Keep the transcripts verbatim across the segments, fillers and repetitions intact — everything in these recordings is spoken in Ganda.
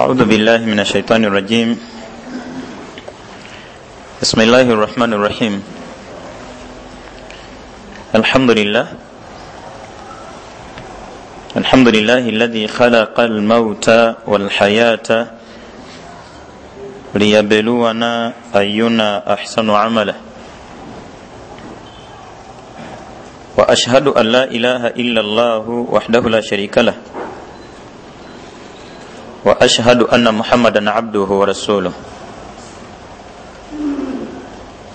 أعوذ بالله من الشيطان الرجيم. بسم الله الرحمن الرحيم. الحمد لله الحمد لله الذي خلق الموت والحياة ليبلونا أينا أحسن عملا، وأشهد أن لا إله إلا الله وحده لا شريك له، وأشهد أن محمدا عبده ورسوله،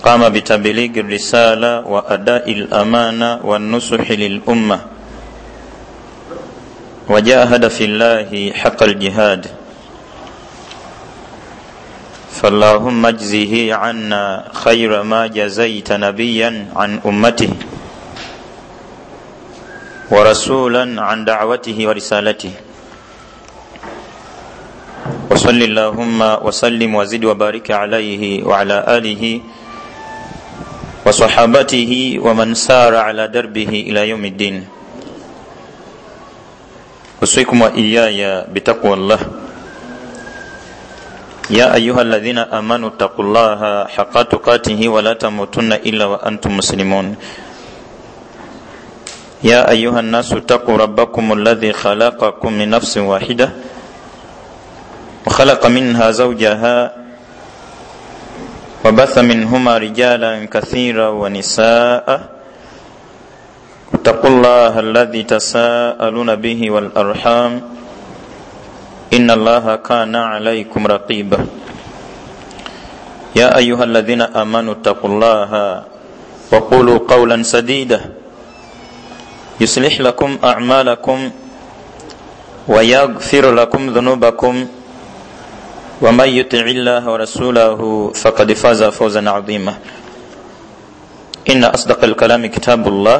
قام بتبليغ الرسالة وأداء الأمانة والنصح للأمة، وجاهد في الله حق الجهاد، فاللهم اجزه عنا خير ما جزيت نبيا عن أمته ورسولا عن دعوته ورسالته، وصل اللهم وسلم وزد وبارك عليه وعلى آله وصحابته ومن سار على دربه إلى يوم الدين. أوصيكم وإياي بتقوى الله. يا أيها الذين آمنوا اتقوا الله حق تقاته ولا تموتن إلا وأنتم مسلمون. يا أيها الناس اتقوا ربكم الذي خلقكم من نفس واحدة وخلق منها زوجها وبث منهما رجالا كثيرا ونساء، اتقوا الله الذي تساءلون به والأرحام إن الله كان عليكم رقيبا. يا أيها الذين آمنوا اتقوا الله وقولوا قولا سديدا يصلح لكم أعمالكم ويغفر لكم ذنوبكم، ومن يطع الله ورسوله فقد فاز فوزا عظيما. إن أصدق الكلام كتاب الله،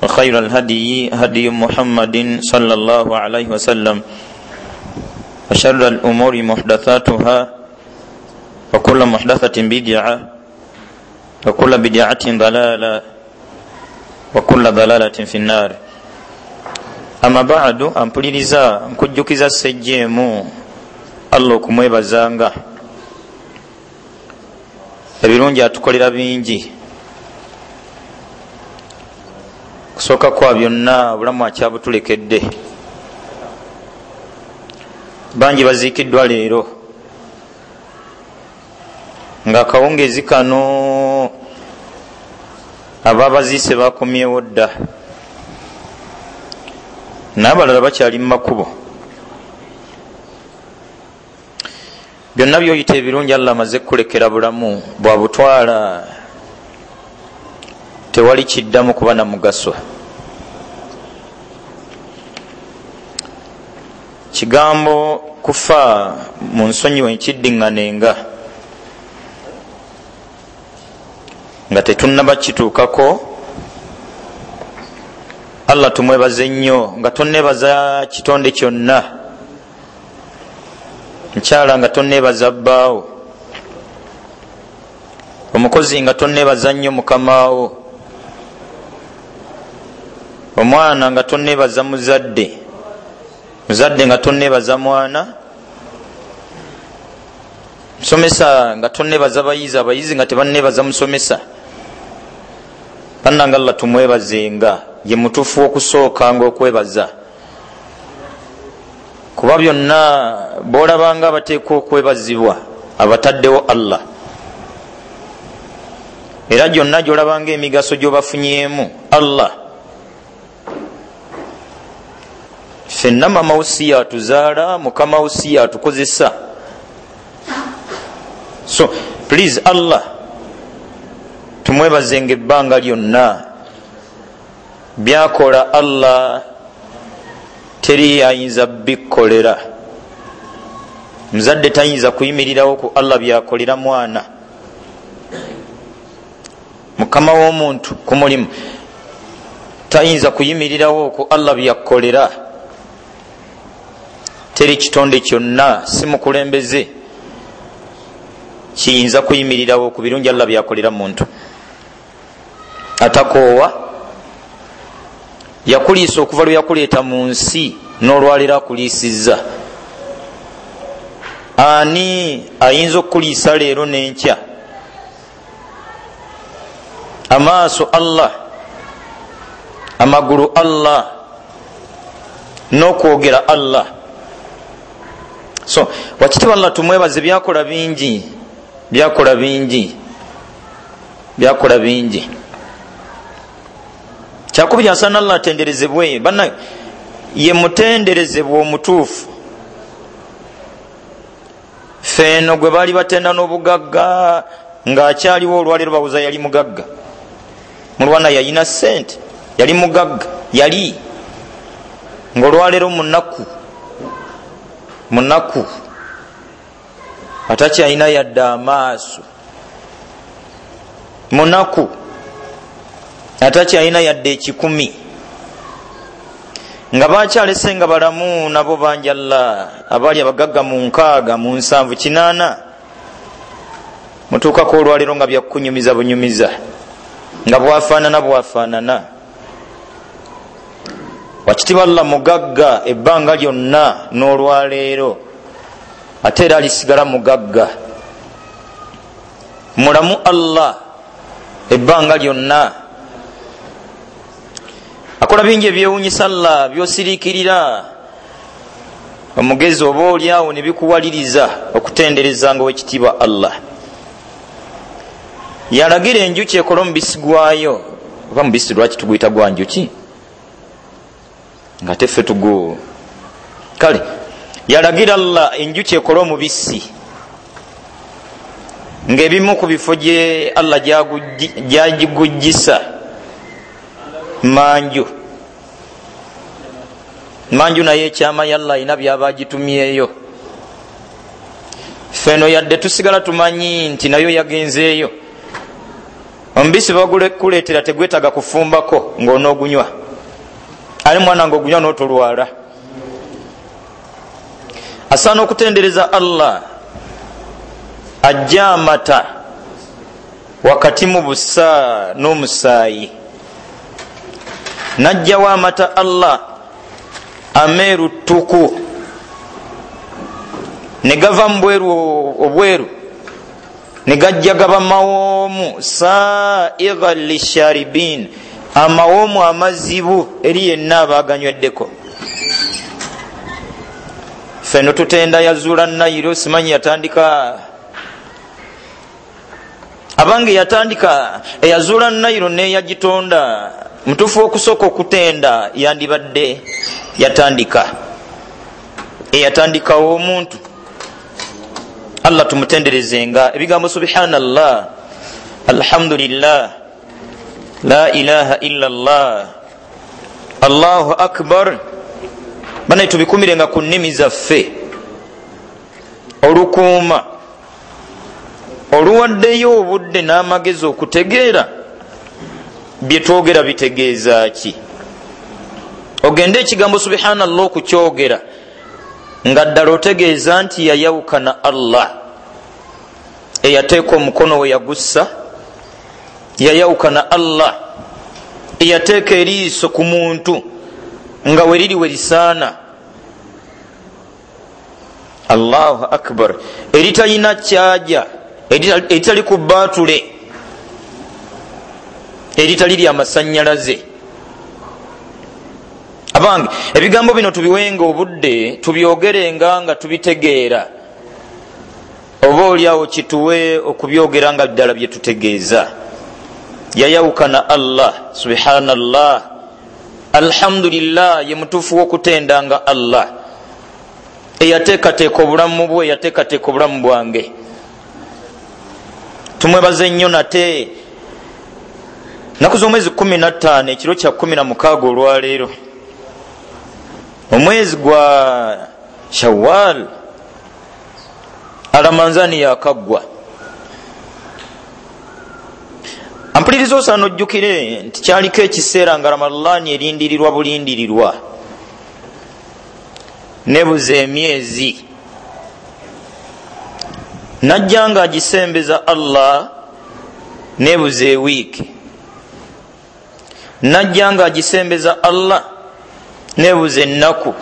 وخير الهدي هدي محمد صلى الله عليه وسلم، وشر الأمور محدثاتها، وكل محدثة بدعة، وكل بدعة ضلالة، وكل ضلالة في النار. أما بعد، ampuliriza nkujjukiza sejjeemu Allah okumwebazanga. Ebirungi atukolera bingi, kusooka kwa byonna obulamu akyabutulekedde. Bangi baziikiddwa leero nga akawungeezi kano ababaziise bakomyewo dda, n'abalala bakyali mu makubo. Byonna by'oyita ebirungi Allah amaze kukulekera bulamu bwabutwala, tewali kiddamu kuba na mugaso. Kigambo kufa mu nsonyiwe nkiddiŋŋanenga nga tetunnaba kituukako. Allah tumwebaze nnyo nga tonneebaza kitonde kyonna, nkyala nga tonneebaza bbaawo, omukozi nga tonneebaza nnyo mukamaawo, omwana nga tonneebaza muzadde, muzadde nga tonneebaza mwana, musomesa nga tonneebaza bayizi, abayizi nga tebanneebaza musomesa. Bannange Allah tumwebazenga, ye mutuufu w'okusookanga okwebaza, kuba byonna bw'olabanga abateekwa okwebazibwa abataddewo Allah, era gyonna gy'olabanga emigaso gy'obafunyeemu Allah. Ffenna mama wo si yatuzaala, mukama wo si yatukozesa. So please Allah tumwebazenga ebbanga lyonna. Byakola Allah teri ayinza bikkolera. Muzadde tayinza kuyimirirawo ku Allah byakolera mwana. Mukama w'omuntu ku mulimu tayinza kuyimirirawo ku Allah byakkolera. Teri kitonde kyonna si mukulembeze kiyinza kuyimirirawo ku birungi Allah byakolera muntu. Atakoowa, yakuliisa okuva lwe yakuleeta mu nsi n'olwaleero akuliisizza. Ani ayinza okukuliisa leero n'enkya? Amaaso Allah, amagulu Allah, n'okwogera Allah. So wakitiibwa Allah tumwebaze, byakola bingi, byakola bingi, byakola bingi. Kyakubiri, asaana Allah atenderezebwe. Banna ye mutenderezebwa omutuufu. Feeno gwe baali batenda n'obugagga ng'akyaliwo olwaleero bawuza yali mugagga. Mulwana yalina ssente, yali mugagga, yali ng'olwaleero munaku, munaku atakyalina yadde amaaso, munaku atakyalina yadde ekikumi, nga bakyalese nga balamu nabo bangi Allah abaali abagagga mu nkaaga, mu nsanvu, kinaana. Mutuukako olwaleero nga byakunyumiza bunyumiza, nga bwafaanana bwafaanana. Wakitiibwa Allah mugagga ebbanga lyonna n'olwaleero, ate era alisigala mugagga. Mulamu Allah ebbanga lyonna, akola bingi ebyewuunyisa Allah by'osiriikirira. Omugezi oba oli awo ne bikuwaliriza okutenderezanga owekitiibwa Allah. Yalagira enjuki ekole omubisi gwayo. Oba mubisi lwaki tuguyita gwa njuki nga teffe tugu? Kale yalagira Allah enjuki ekole omubisi, ng'ebimu ku bifo gye Allah gyagigujjisa manju manju, naye ekyama yalla alina byaba agitumyeyo. Ffeno yadde tusigala tumanyi nti nayo yagenzeeyo. Omubisi bagukuleetera tegwetaaga kufumbako ng'onoogunywa, ali mwana ng'ogunywa n'otolwala. Asaana okutendereza Allah ajja amata wakati mu busa n'omusaayi, najjawo amata Allah ameeru ttuku ne gava mu bweru obweru ne gajja gaba mawoomu saigha lisharibin, amawoomu amazibu eri yenna abaaganyweddeko. Ffeno tutenda yazuula Nayiro, simanyi yatandika abange yatandika eyazuula Nayiro neyagitonda. Mutuufu okusooka okutenda yandibadde yatandika eyatandikawo omuntu. Allah tumutenderezenga ebigambo subhanallah, alhamdulillah, la ilaha illa Allah, Allahu akbar. Bana tubikumirenga ku nnimi zaffe olukuuma oluwaddeyo obudde n'amagezi okutegeera bye twogera bitegeeza ki. Ogende ekigambo subhanallah okukyogera nga ddala otegeeza nti yayawukana Allah eyateeka omukono we yagussa, yayawukana Allah eyateeka eriiso ku muntu nga weriri werisaana. Allahu akbar, eritalina kyaja, eritali ku baatule, eritali lya masannyalaze. Abange ebigambo bino tubiwenga obudde, tubyogerenga nga tubitegeera, oba oliawo kituwe okubyogera nga ddala bye tutegeeza. Yayawukana Allah subhanallah, alhamdulillah, ye mutuufu w'okutendanga Allah eyateekateeka obulamu bwe, yateekateeka obulamu bwange. Tumwebaze nnyo nate. Nnaku z'omwezi kumi na ttaano ekiro kya kumi na mukaaga olwaleero, omwezi gwa Shawwal, Alamanzani yakaggwa. Ampuliriza osaana ojjukire nti kyaliko ekiseera nga Ramadhaani erindirirwa bulindirirwa, nebuza emyezi, najja nga agisembeza Allah nebuza ewiiki, najja nga agisembeza Allah nebuza ennaku,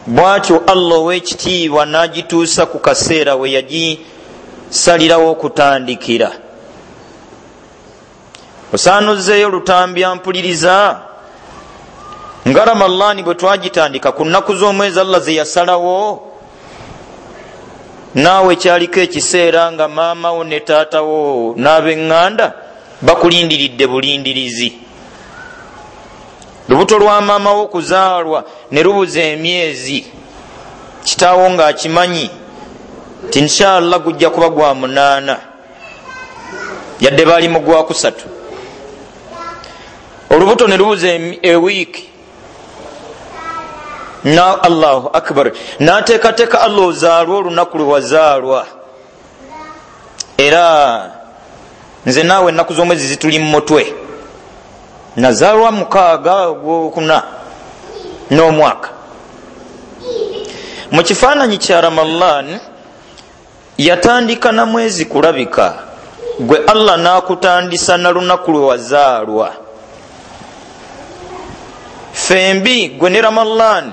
Bwatyo Allah ow'ekitiibwa n'agituusa ku kaseera we yagisalirawo okutandikira. Osaanuzzeeyo lutambya mpuliriza nga Ramalani bwe twagitandika ku nnaku z'omwezi Allah ze yasalawo, naawe kyaliko ekiseera nga maama wo ne taata wo n'ab'eŋŋanda bakulindiridde bulindirizi. Lubuto lwa maama wo kuzaalwa ne lubuza emyezi, kitaawo ng'akimanyi nti inshallah gujja kuba gwa munaana, yadde baali mu gwa kusatu. Olubuto ne lubuza ewiiki, na Allahu akbar, n'ateekateeka Allah ozaalwa olunaku lwe wazaalwa. Era nze naawe ennaku z'omwezi zituli mu mutwe, nazaalwa mukaaga ogwokuna n'omwaka. Mu kifaananyi kya Ramadan yatandika na mwezi kulabika, gwe Allah n'akutandisa na lunaku lwe wazaalwa. Fembi gwe ne Ramadan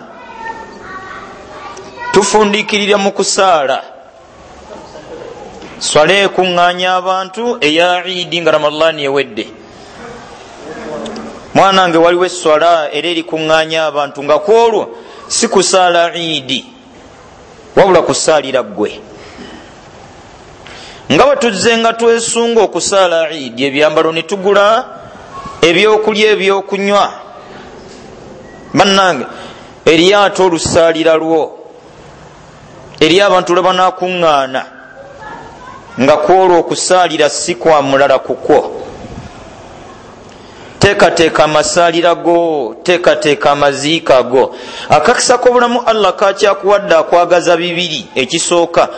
tufundikirira mu kusaala swala ekuŋŋaanya abantu eya Idi nga Ramadan ewedde. Mwanange, waliwo esswala era erikuŋŋaanya abantu nga kwolwo si kusaala Idi, wabula kusaalira ggwe. Nga bwe tuzze nga twesunga okusaala Idi, ebyambalo ne tugula, ebyokulya, ebyokunywa, bannange eryato olusaalira lwo eri abantu lwe banaakuŋŋaana nga kwolwo okusaalira si kwa mulala kukwo. Teekateeka amasaalira go, teekateeka amaziika go. Akakisa k'obulamu Allah kakyakuwadde akwagaza bibiri. Ekisooka,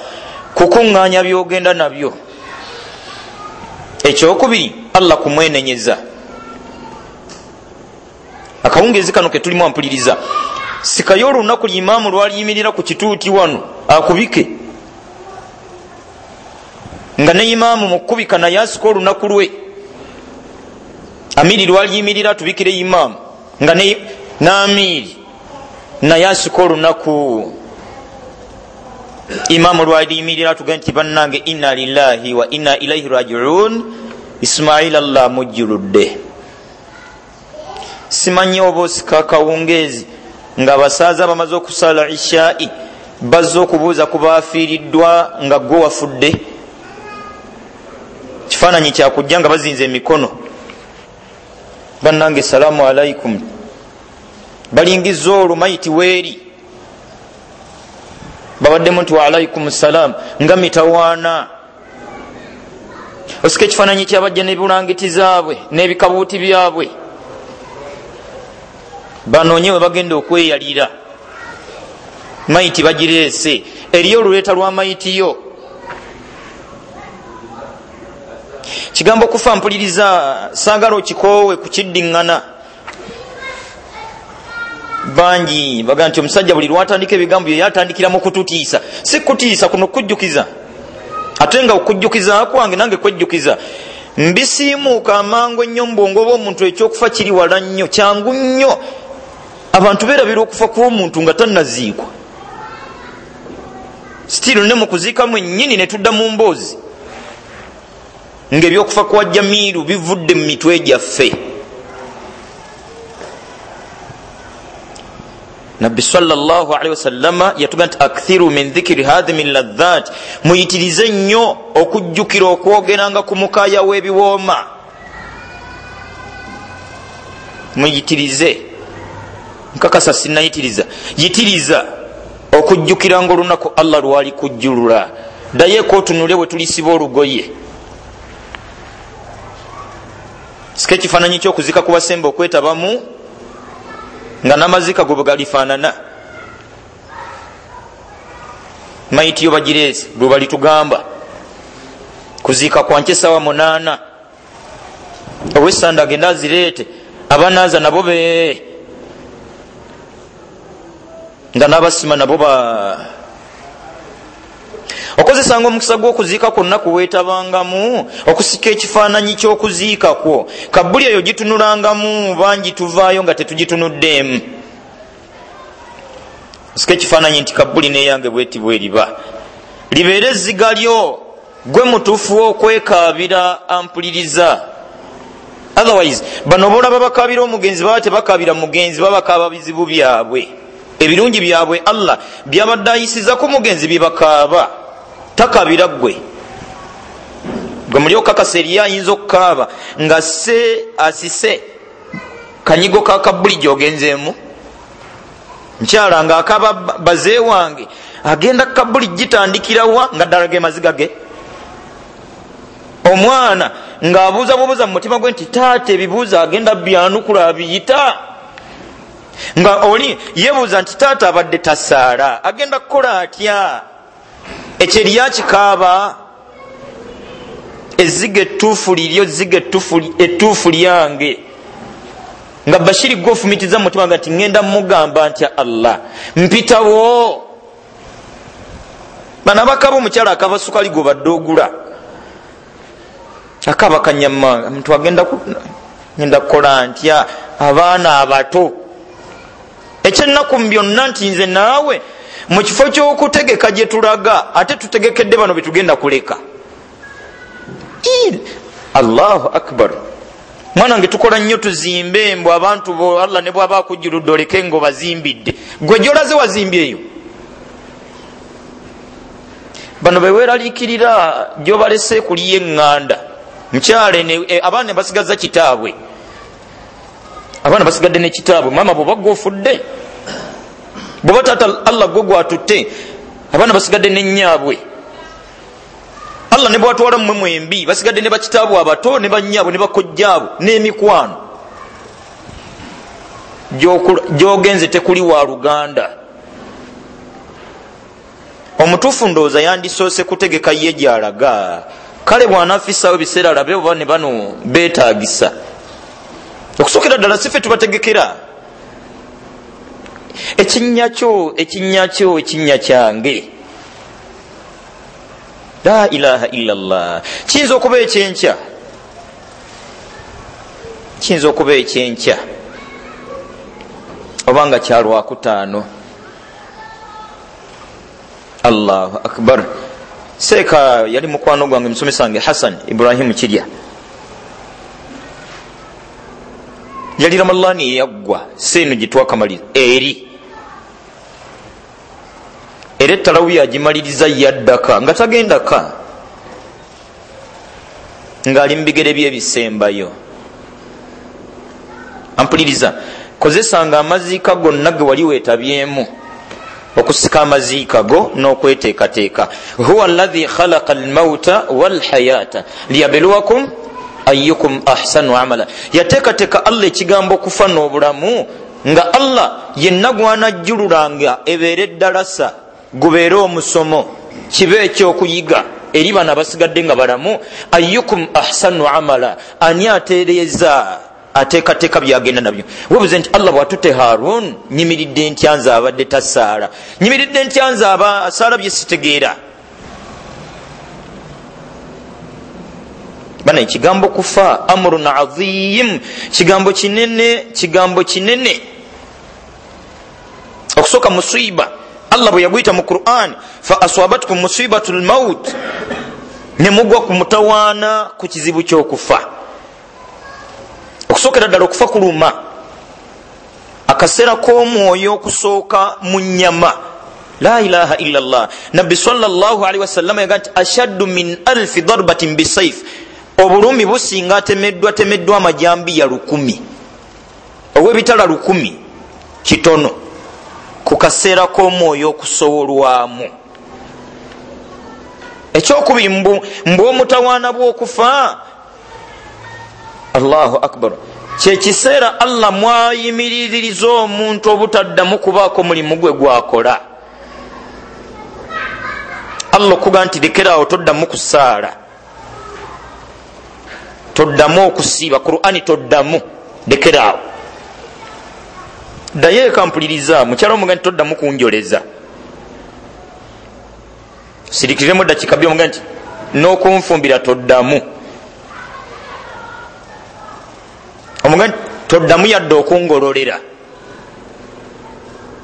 kukuŋŋaanya by'ogenda nabyo. Ekyokubiri, Allah kumwenenyeza. Akawungeezi kano ke tulimu ampuliriza, sikayo olunaku limaamu lwaliyimirira ku kituuti wano akubike, nga ne imaamu mu kkubika naye asika olunaku lwe. Amiri lwaliyimirira atubikire imaamu, nga n'amiiri naye asika olunaku imaamu lwaliyimirira atugambe nti bannange inna lillahi wa inna ilaihi rajiun, Ismaila Allah amujjuludde. Simanyi oba osika akawungeezi ng'abasaaza bamaze okusala ishaa'i bazze okubuuza ku baafiiriddwa nga gwe wafudde. Kifaananyi kyakujja nga bazinze emikono, bannange salaamu alaikum, balingiza olwo mayiti weeri, babaddemu nti wa alaikum salaam nga mitawaana. Osika ekifaananyi kyabajja n'ebulangiti zaabwe n'ebikabuuti byabwe, banoonye we bagenda okweyalira, mayiti bagireese, eriyo oluleeta lwa mayiti yo. Kigambo kufa mpuliriza, saagala okikoowe kukiddiŋŋana. Bangi bagamba nti omusajja buli lwatandika ebigambo bye yatandikira mu kututiisa. Si kutiisa kuno kujjukiza, ate nga okujjukiza kwange nange kwejjukiza. Mbisiimuuka amangu ennyo mu bwongo bw'omuntu, ekyokufa kiri wala nnyo, kyangu nnyo. Abantu beerabira okufa kw'omuntu nga tannaziikwa. Still ne mu kuziika mwennyini ne tudda mu mboozi ng'ebyokufa kwa Jamiiru bivudde mu mitwe gyaffe. Nabbi sallallahu alaihi wasallama yatugamba nti akthiru min dhikri hadhimi ladhat, muyitirize nnyo okujjukira okwogeranga ku mukaaya w'ebiwooma. Muyitirize, nkakasa sinnayitiriza, yitiriza okujjukiranga olunaku Allah lwali kujjulula. Ddayo otunule bwe tulisiba olugoye. Sika ekifaananyi ky'okuzika ku basemba okwetabamu nga n'amazika go bwe galifaanana. Mayiti yo bagireese lwe balitugamba kuziika kwa nkya essaawa munaana, ow'essanda agende azireete, abanaaza nabo be nga n'abasima nabo ba. Okozesanga omukisa gw'okuziika kwonna kuweetabangamu okusika ekifaananyi ky'okuziika kwo. Kabbuli eyo gitunulangamu, bangi tuvaayo nga tetugitunuddeemu. Osika ekifaananyi nti kabuli neyange bweti bweriba, libeere ezziga lyo, gwe mutuufu okwekaabira ampuliriza. Otherwise bano bolaba bakaabira omugenzi baba tebakaabira mugenzi, baba bakaaba bizibu byabwe, ebirungi byabwe Allah byabadde ayisiza ku mugenzi bibakaaba, takaabira ggwe. Gwe muli okakasa eriyo ayinza okukaaba nga se asise kanyigo ka kabuli gy'ogenzeemu. Nkyala ng'akaaba baze wange agenda kabuli gitandikirawa nga ddala ge maziga ge. Omwana ng'abuuza bubuuza mu mutima gwe nti taata ebibuuzo agenda byanukula abiyita, nga oli yeebuuza nti taata abadde tasaala agenda kukola atya? Ekyo eriyo akikaaba. Ezziga ettuufu liryo, ezziga ettuufu lyange. Nga Bashiri gwe ofumitiza mu mutima nga nti ŋŋenda mugamba ntya Allah mpitawo. Bano abakaba omukyala akaba sukali gw'obadde ogula, akaba kanyama, muntu agenda ngenda kukola ntya abaana abato. Ekyennaku mu byonna nti nze naawe mu kifo ky'okutegeka gye tulaga ate tutegekedde bano be tugenda kuleka. Allahu akbar. Mwana nge tukola nnyo tuzimbe mbu abantu bo Allah ne bw'aba akujjuludde oleke ng'obazimbidde, gwe gy'olaze wazimbyeyo. Bano beweeraliikirira gy'obalese kuliyo eŋŋanda. Mukyala abaana basigaza kitaabwe, abaana basigadde ne kitaabwe. Maama bw'oba gwe ofudde, bw'oba taata Allah gwe gwatutte, abaana basigadde ne nnyaabwe. Allah ne bw'atwala mmwe mwembi basigadde ne bakitaabwe abato ne bannyaabwe ne bakojjaabwe n'emikwano. Gy'ogenze tekuli wa luganda. Omutuufu ndowooza yandisoose kutegeka ye gy'alaga. Kale bw'anaafisaawo ebiseera alabe oba ne bano beetaagisa. Okusookera ddala si ffe tubategekera. Ekinnya kyo, ekinnya kyo, ekinnya kyange. La ilaha illallah. Kiyinza okuba ekyenkya, kiyinza okuba ekyenkya oba nga kya lwakutaano. Allahu akbar. Seeka yali mukwano gwange musomesa wange Hassan Ibrahimu Kirya, yali Ramadhani eyaggwa seeno gye twakamaliriza eri era ettalawi yagimaliriza yaddaka nga tagendaka, ng'ali mu bigere bye ebisembayo. Ampuliriza, kozesanga amaziika gonna ge wali weetabyemu okusika amaziika go n'okweteekateeka. Huwa alladhi khalaqa almauta walhayata liyabluwakum ayyukum ahsanu amala. Yateekateeka Allah ekigambo okufa n'obulamu nga Allah yenna gwanajjululanga ebeere eddalasa, gubeere omusomo, kibe ekyokuyiga eri bano abasigadde nga balamu. Ayyukum ahsanu amala, ani atereeza ateekateeka byagenda nabyo. Webuze nti Allah bw'atutte Harun, nyimiridde ntya nze abadde tasaala, nyimiridde ntya nze aba asaala bye sitegeera. Bana ekigambo kufa amrun azim, kigambo kinene, kigambo kinene. Okusooka musiba Allah bwe yaguyita mu Qur'an, fa aswabatkum musibatul maut, ne mugwa ku mutawaana ku kizibu ky'okufa. Okusookera ddala okufa kuluma, akaseera k'omwoyo okusooka mu nnyama. La ilaha illa Allah. Nabbi sallallahu alaihi wasallam yagamba nti ashaddu min alfi darbatin bisayf, obulumi businga atemeddwa temeddwa amajambiya lukumi, ow'ebitala lukumi kitono ku kaseera k'omwoyo okusowolwamu. Ekyokubiri mbu omutawaana bw'okufa, Allahu akbar, kyekiseera Allah mwayimiririza omuntu obutaddamu kubaako mulimu gwe gwakola. Allah okuga nti lekeraawo toddamu kusaala, toddamu okusiiba, Qur'ani toddamu, lekeraawo. Ddayo eka mpuliriza, mukyala omuga nti toddamu kunjoleza, sirikiremu eddakiika bbiri omuga nti n'okunfumbira toddamu, omuga nti toddamu yadde okungololera.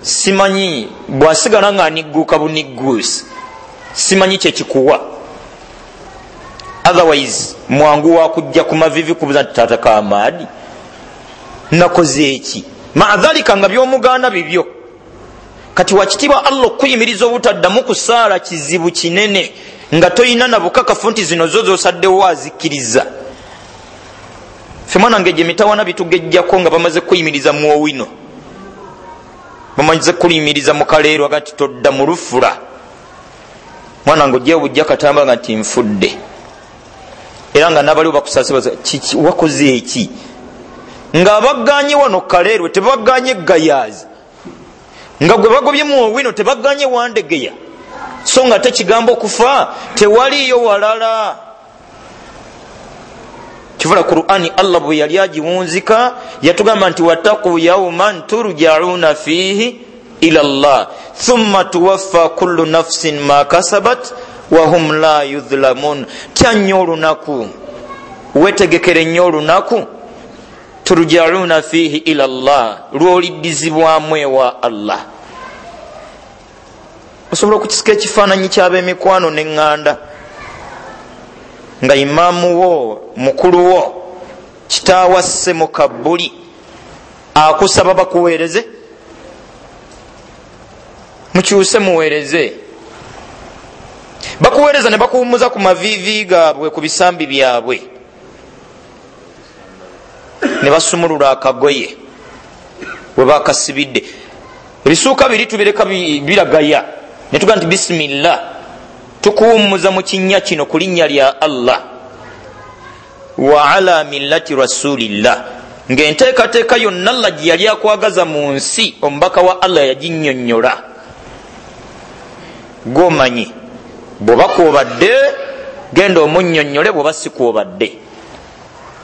Simanyi bwasigala nga anigguuka bunigguusi, simanyi kyekikuwa. Otherwise mwangu wakujja ku mavivi kubuza nti taata Kamaadi nakoze eki, maadhalika nga byomugaana bibyo. Kati wakitiibwa Allah okuyimiriza obutaddamu kusaala kizibu kinene nga toyina na bukakafu nti zino zo zosaddewo azikkiriza. Ffe mwana ng'egyo emitawaana bitugejjako nga bamaze kuyimiriza mu owino, bamaze kuyimiriza mu kaleerwa aga nti todda mu lufula. Mwana ng'ojjayo bujja katamba nga nti nfudde, era nga n'abaliwo bakusaasira kiki wakoze eki, nga baganye wano kaleerwe tebaganye gayaazi, nga gwe bagobye mu owino tebaganye wandegeya, so nga tekigambo okufa tewaliyo walala. Kivula Qur'ani Allah bwe yali agiwunzika yatugamba nti wattaqu yawman turja'una fihi ila Allah thumma tuwaffa kullu nafsin ma kasabat wa hum la yudhlamun. Tya nnyo olunaku, wetegekere nnyo olunaku turja'una fihi ila Allah, lw'oliddizibwamu ewa Allah. Osobola okukisika ekifaananyi ky'ab'emikwano n'eŋŋanda nga imaamu wo, mukulu wo, kitaawasse mu kabbuli akusaba bakuweereze, mukyuse muweereze. Bakuweereza ne bakuwummuza ku maviivi gaabwe, ku bisambi byabwe, ne basumulula akagoye we bakasibidde. Ebisuuka biri tubireka biragaya, ne tugamba nti bisimillah, tukuwummuza mu kinnya kino ku linnya lya Allah wa ala millati rasulillah, ng'enteekateeka yonna Allah gye yali akwagaza mu nsi omubaka wa Allah yaginnyonnyola. Gw'omanyi bw'oba kw'obadde genda omunnyonnyole, bw'oba si kw'obadde.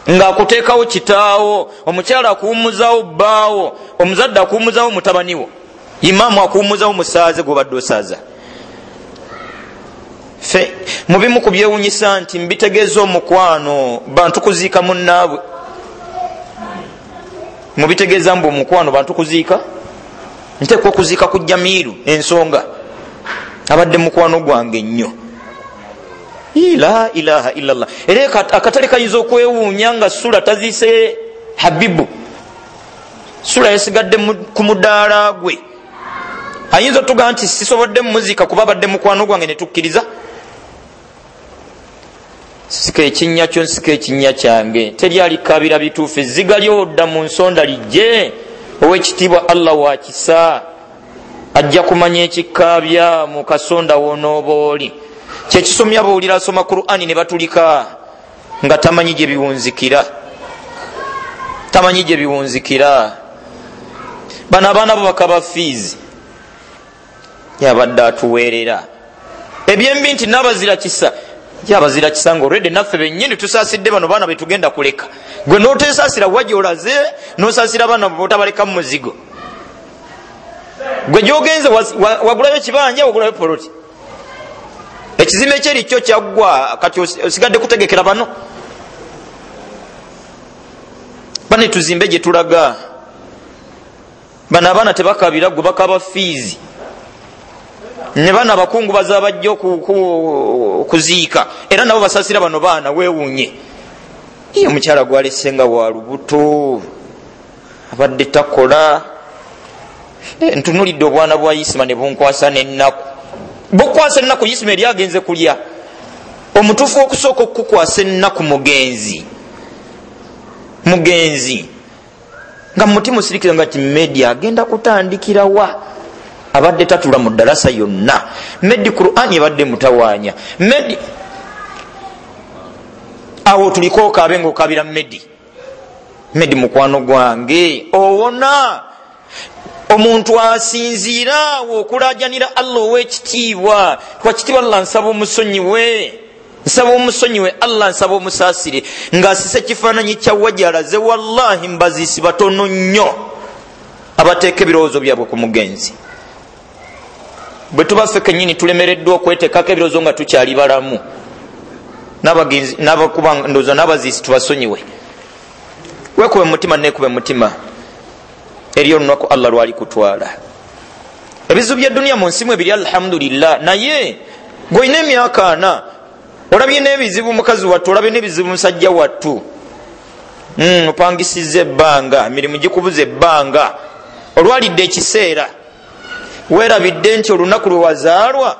Ng'akuteekawo kitaawo, omukyala akuwummuzaawo bbaawo, omuzadde akuwummuzaawo mutabani wo, imaamu akuwummuzaawo musaaze gw'obadde osaaza. Ffe mu bimu ku byewunyisa nti mbitegeeza omukwano bantu kuziika munnaabwe, mubitegeeza mbu omukwano bantu kuziika, nteekwa okuziika ku Jamiiru ensonga abadde mukwano gwange nnyo. La ilaha illallah. Era akatale kayinza okwewuunya nga Sula taziise Habibu, Sula yasigadde ku mudaala gwe. Ayinza otugamba nti sisobodde muzika kuba abadde mukwano gwange ne tukkiriza. Sika ekinnya kyo, nsika ekinnya kyange, teri alikabira bituufu, ezziga ly'odda mu nsonda lijje. Owekitiibwa Allah wa kisa ajja kumanya ekikaabya mu kasonda w'onooba oli. Kyekisomya bawulira asoma Qur'ani ne batulika nga tamanyi gye biwunzikira, tamanyi gye biwunzikira. Bano abaana bo bakaba fiizi yabadde atuweerera ebyembi nti n'abazira kisa, yabazira kisa nga olwedde naffe bennyini tusaasidde bano baana betugenda kuleka. Gwe n'oteesaasira wa gy'olaze, n'osaasira abaana botabaleka mu muzigo. Gwe gy'ogenze wagulayo ekibanja, wagulayo poloti, ekizimbe ekyeri kyo kyaggwa, kati osigadde kutegekera bano. Bane tuzimbe gye tulaga. Bano abaana tebakabira gwe bakaba fiizi, ne bano abakungu baza bajja okuziika era nabo basaasira bano baana. Weewuunye iye omukyala gwalese nga wa lubuto, abadde takola. Ntunulidde obwana bwa Isima ne bunkwasa n'ennaku, bukwasa ennaku. Isima eri agenze kulya. Omutuufu okusooka okukukwasa ennaku mugenzi, mugenzi nga mumutima osirikira nga ti media agenda kutandikira wa, abadde tatula mu ddalasa yonna. Medi Qur'ani ebadde mutawaanya medi, awo tuliko okaabe ng'okaabira medi. Medi mukwano gwange owona. Omuntu asinziira awo okulaajanira Allah ow'ekitiibwa. Twakitiibwa Allah nsaba omusonyiwe, nsaba omusonyiwe Allah, nsaba omusaasire. Ng'asise ekifaananyi kya wajalaze. Wallahi mbaziisi batono nnyo abateeka ebirowoozo byabwe ku mugenzi. Bwe tuba ffe kennyini tulemereddwa okweteekako ebirowoozo nga tukyali balamu, n'abagenzi n'abakuba ndowooza n'abaziisi tubasonyiwe. Weekube mu mutima, neekube mu mutima, eri olunaku Allah lwali kutwala. Ebizibu by'edduniya mu nsi mwe biri, alhamdulillah. Naye gw'olina emyaka ana, olabye n'ebizibu mukazi wattu, olabye n'ebizibu musajja wattu, mm, opangisizza ebbanga, emirimu gikubuza ebbanga, olwalidde ekiseera, weerabidde nti olunaku lwe wazaalwa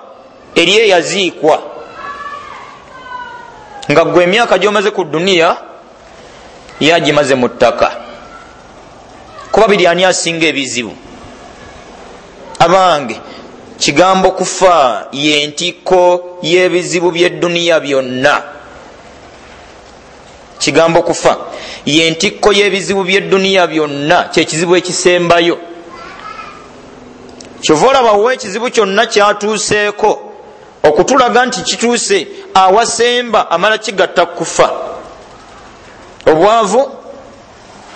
eri eyaziikwa, nga gwe emyaka gy'omaze ku dduniya yagimaze mu ttaka. Kuba biri ani asinga ebizibu? Abange, kigambo kufa y'entikko y'ebizibu by'edduniya byonna. Kigambo kufa y'entikko y'ebizibu by'edduniya byonna, kyekizibu ekisembayo. Kyova olaba wa ekizibu kyonna kyatuuseeko okutulaga nti kituuse awasemba, amala kigatta kufa. Obwavu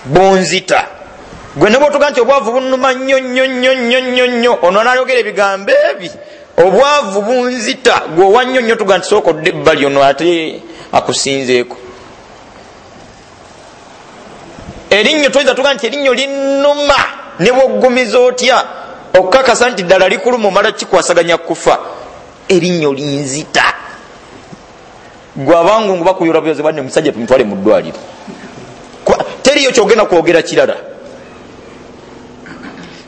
bunzita. Gwe ne bw'otuga nti obwavu bunnuma nnyo nnyo nnyo nnyo nnyo nnyo, ono anaayogera ebigambo ebi, obwavu bunzita, gwe owa nnyo nnyo tuga nti sooka odde ebbali, ono ate akusinzeeko. Erinnyo toyinza tuga nti erinnyo linnuma, ne bw'oggumiza otya okukakasa nti ddala likuluma, omala kikwasaganya kufa. Erinnyo linzita. Gwe abangungu bakuyoola buyozi, banne omusajja tumutwale mu ddwaliro, teriyo kyogenda kwogera kirala.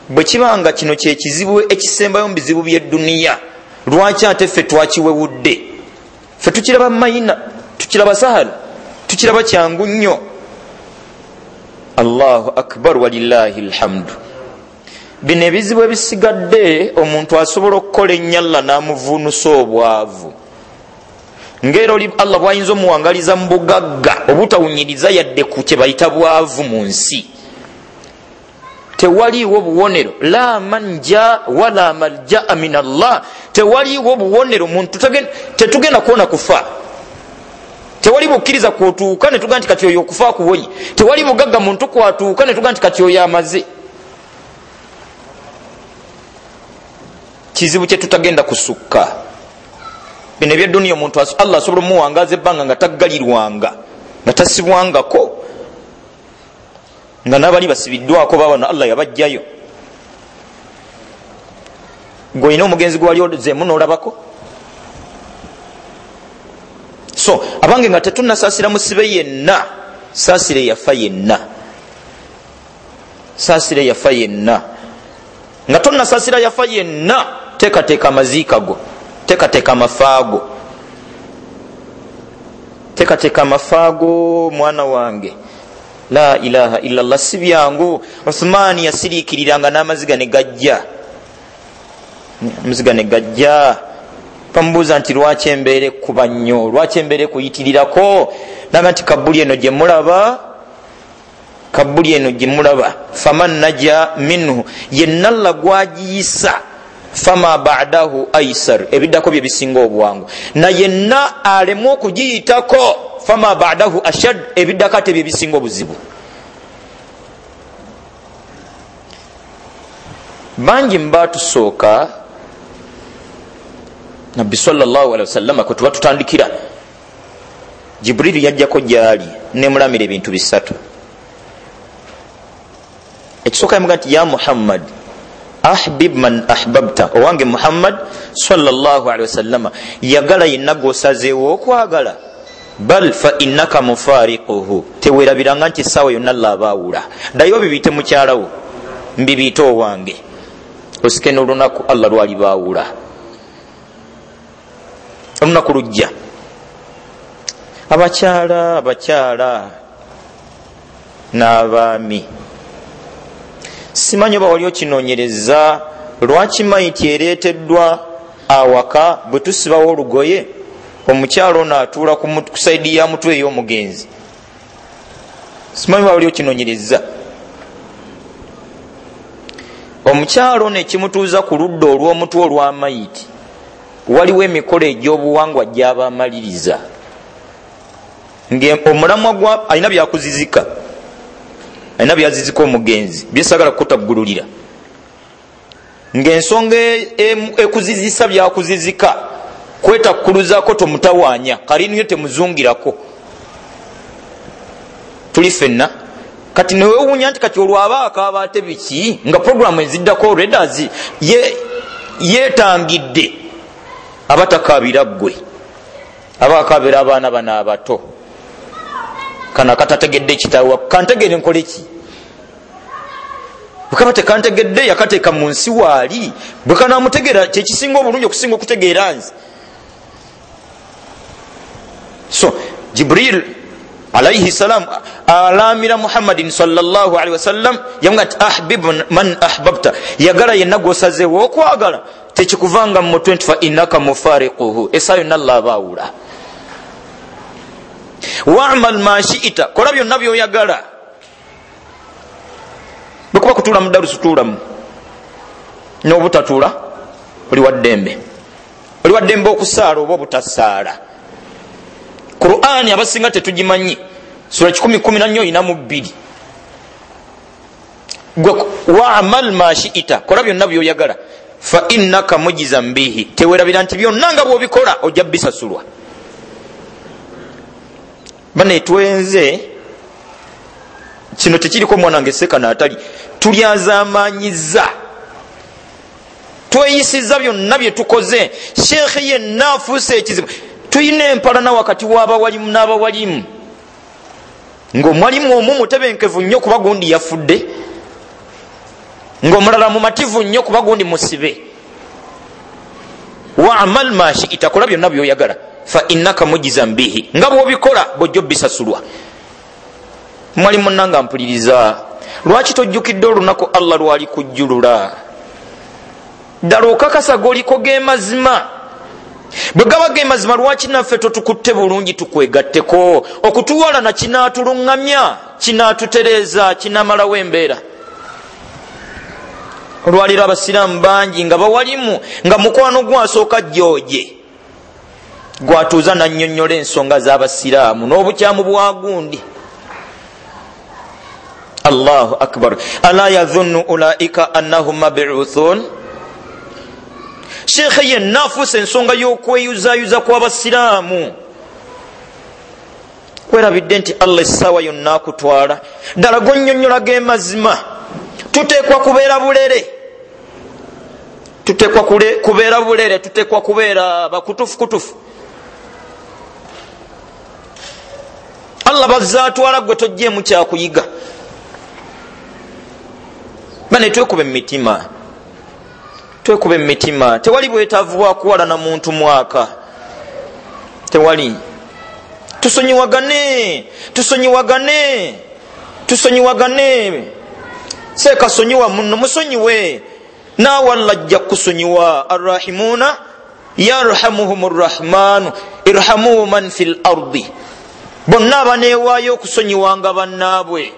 Bwe kibanga kino kyekizibu ekisembayo mu bizibu by'edduniya, lwaki ate ffe twakiwewudde? Ffe tukiraba mayina, tukiraba sahal, tukiraba kyangu nnyo. Allahu akbar, walillahi alhamdu. Bino ebizibu ebisigadde omuntu asobola okukola ennyo Allah n'amuvuunusa obwavu, ng'era oli Allah bw'ayinza omuwangaliza mu bugagga obutawunyiriza yadde ku kye bayita bwavu mu nsi. Tewaliiwo buwonero, la manja wala maljaa min Allah. Tewaliiwo buwonero, muntu tetugenda kuwona kufa. Tewali bukkiriza kwotuuka ne tuga nti kati oyo okufa akuwonye. Tewali bugagga muntu kwatuuka ne tuga nti kati oyo amaze. Kizibu kye tutagenda kusukka. Bino eby'edduniya omuntu Allah asobola omuwangaaza ebbanga nga taggalirwanga, nga tasibwangako, nga n'abali basibiddwako babano Allah yabajjayo. Gwe olina omugenzi gwe wali ozeemu n'olabako? So abange, nga tetunnasaasira musibe yenna, saasira eyafa yenna, saasira eyafa yenna. Nga tonnasaasira yafa yenna, teekateeka amaziika go, teekateeka amafaago, teekateeka amafaago mwana wange. La ilaha illallah, si byangu. Uthmani yasiriikiriranga n'amaziga ne gajja, amaziga ne gajja. Bamubuuza nti lwaki embeera ekkuba nnyo, lwaki embeera ekuyitirirako? Naga nti kabbuli eno gye mulaba, kabbuli eno gye mulaba, faman naja minhu, yenna Allah gwagiyisa, fama ba'dahu aisar, ebiddako bye bisinga obwangu. Na yenna alemwa okugiyitako, fama ba'dahu ashad, ebiddako ate bye bisinga obuzibu. Bangi mbatusooka Nabbi sallallahu alaihi wasallam kwe tuba tutandikira, Jibril yajjako gyali nemulamira ebintu bisatu. Ekisooka yamuga nti ya Muhammad ahbib man ahbabta, owange Muhammad sallallahu alaihi wasallam, yagala yenna gw'osazeewo okwagala, bal fa innaka mufariquhu, teweerabiranga nti essaawa yonna Allah abaawula. Ddayo bibiite mukyalawo, mbibiite owange, osike n'olunaku Allah lwalibaawula. Olunaku lujja. Abakyala, abakyala n'abaami, simanyi oba wali okinoonyereza lwaki mayiti ereeteddwa awaka bwe tusibawo olugoye, omukyala ono atuula ku saidi ya mutwe ey'omugenzi. Simanyi oba wali okinoonyereza. Omukyala ono ekimutuuza ku ludda olw'omutwe olw'amayiti, waliwo emikolo egy'obuwangwa gy'abamaliriza, ng'omulamwa gwa alina byakuzizika, alina byazizika omugenzi byesagala kutaggululira, ng'ensonga ekuzizisa byakuzizika kwetakkuluzaako tomutawaanya, kaliniyo temuzungirako, tuli ffenna. Kati newewuunya nti kati olwaba akaaba ate biki, nga programu eziddako already ye Yeetangidde abatakaabira ggwe, abakaabira abaana bano abato. Kano akatategedde kitaawe, kantegere nkole ki? Bwe kaba tekantegedde yakateeka mu nsi waali, bwe kanaamutegeera kyekisinga obulungi okusinga okutegeera nze. So Jibril alayhi salam alamira Muhammadin sallallahu alaihi wasallam, yamuga nti ahbib man ahbabta, yagala yenna gw'osazeewo okwagala, tekikuvanga mu mutwe nti fa innaka mufariquhu, essaawa yonna Allah abaawula. Wa'mal ma shi'ita, kola byonna by'oyagala. Bwe kuba kutuula mu darusu tuulamu, n'obutatuula oli wa ddembe, oli wa ddembe okusaala oba obutasaala. Qur'ani abasinga tetugimanyi, sura kikumi kumi na nnya oyina mu bbiri. Gwe wa'mal ma shi'ita, kola byonna by'oyagala, fa innaka mujizan bihi, tewerabira nti byonna nga bw'obikola ojja bisasulwa. Bane twenze kino tekiriko mwana wange sekana atali, tulyazamanyiza, tweyisiza byonna bye tukoze. Sheekhe yenna afuuse ekizibu. Tuyina empalana wakati w'abawalimu n'abawalimu, ng'omwalimu omu mutebenkevu nnyo kuba gundi yafudde, ng'omulala mumativu nnyo kuba gundi musibe. Wa'mal ma shi'ita, kola byonna by'oyagala, fa innaka mujizan bihi, nga bw'obikola bw'ojja bisasulwa. Mwalimu nanga mpuliriza, lwaki tojjukidde olunaku Allah lwali kujjulula? Ddala okakasa g'oliko ge mazima? Bwe gaba ge mazima, lwaki naffe totukutte bulungi tukwegatteko? Okutuwalana kinaatuluŋŋamya, kinaatutereeza, kinaamalawo embeera. Olwaleero abasiraamu bangi nga bawalimu, nga mukwano gwasooka jjooje gwatuuza nannyonnyola ensonga z'abasiraamu n'obukyamu bwa gundi. Allahu akbar. Ala yadhunnu ulaika annahum mab'uthun. Sheekhe yenna afuuse ensonga y'okweyuzayuza kw'abasiraamu. Kwerabidde nti Allah essaawa yonna akutwala. Ddala gonnyonnyola ge mazima. Tuteekwa kubeera bulere, tuteekwa kubeera bulere, tuteekwa kubeera bakutufu kutufu. Allah bazzaatwala gwe tojjeemu kyakuyiga. Bane twekube emitima, twekube emitima. Tewali bwetaavu bwa kuwalana muntu mwaka, tewali. Tusonyiwagane, tusonyiwagane, tusonyiwagane. Seekasonyiwa munno, musonyiwe, naawe Allah ajja kukusonyiwa. Arrahimuna yarhamuhum rrahmanu irhamu man fil ardi, bonna abaneewaayo okusonyiwanga bannaabwe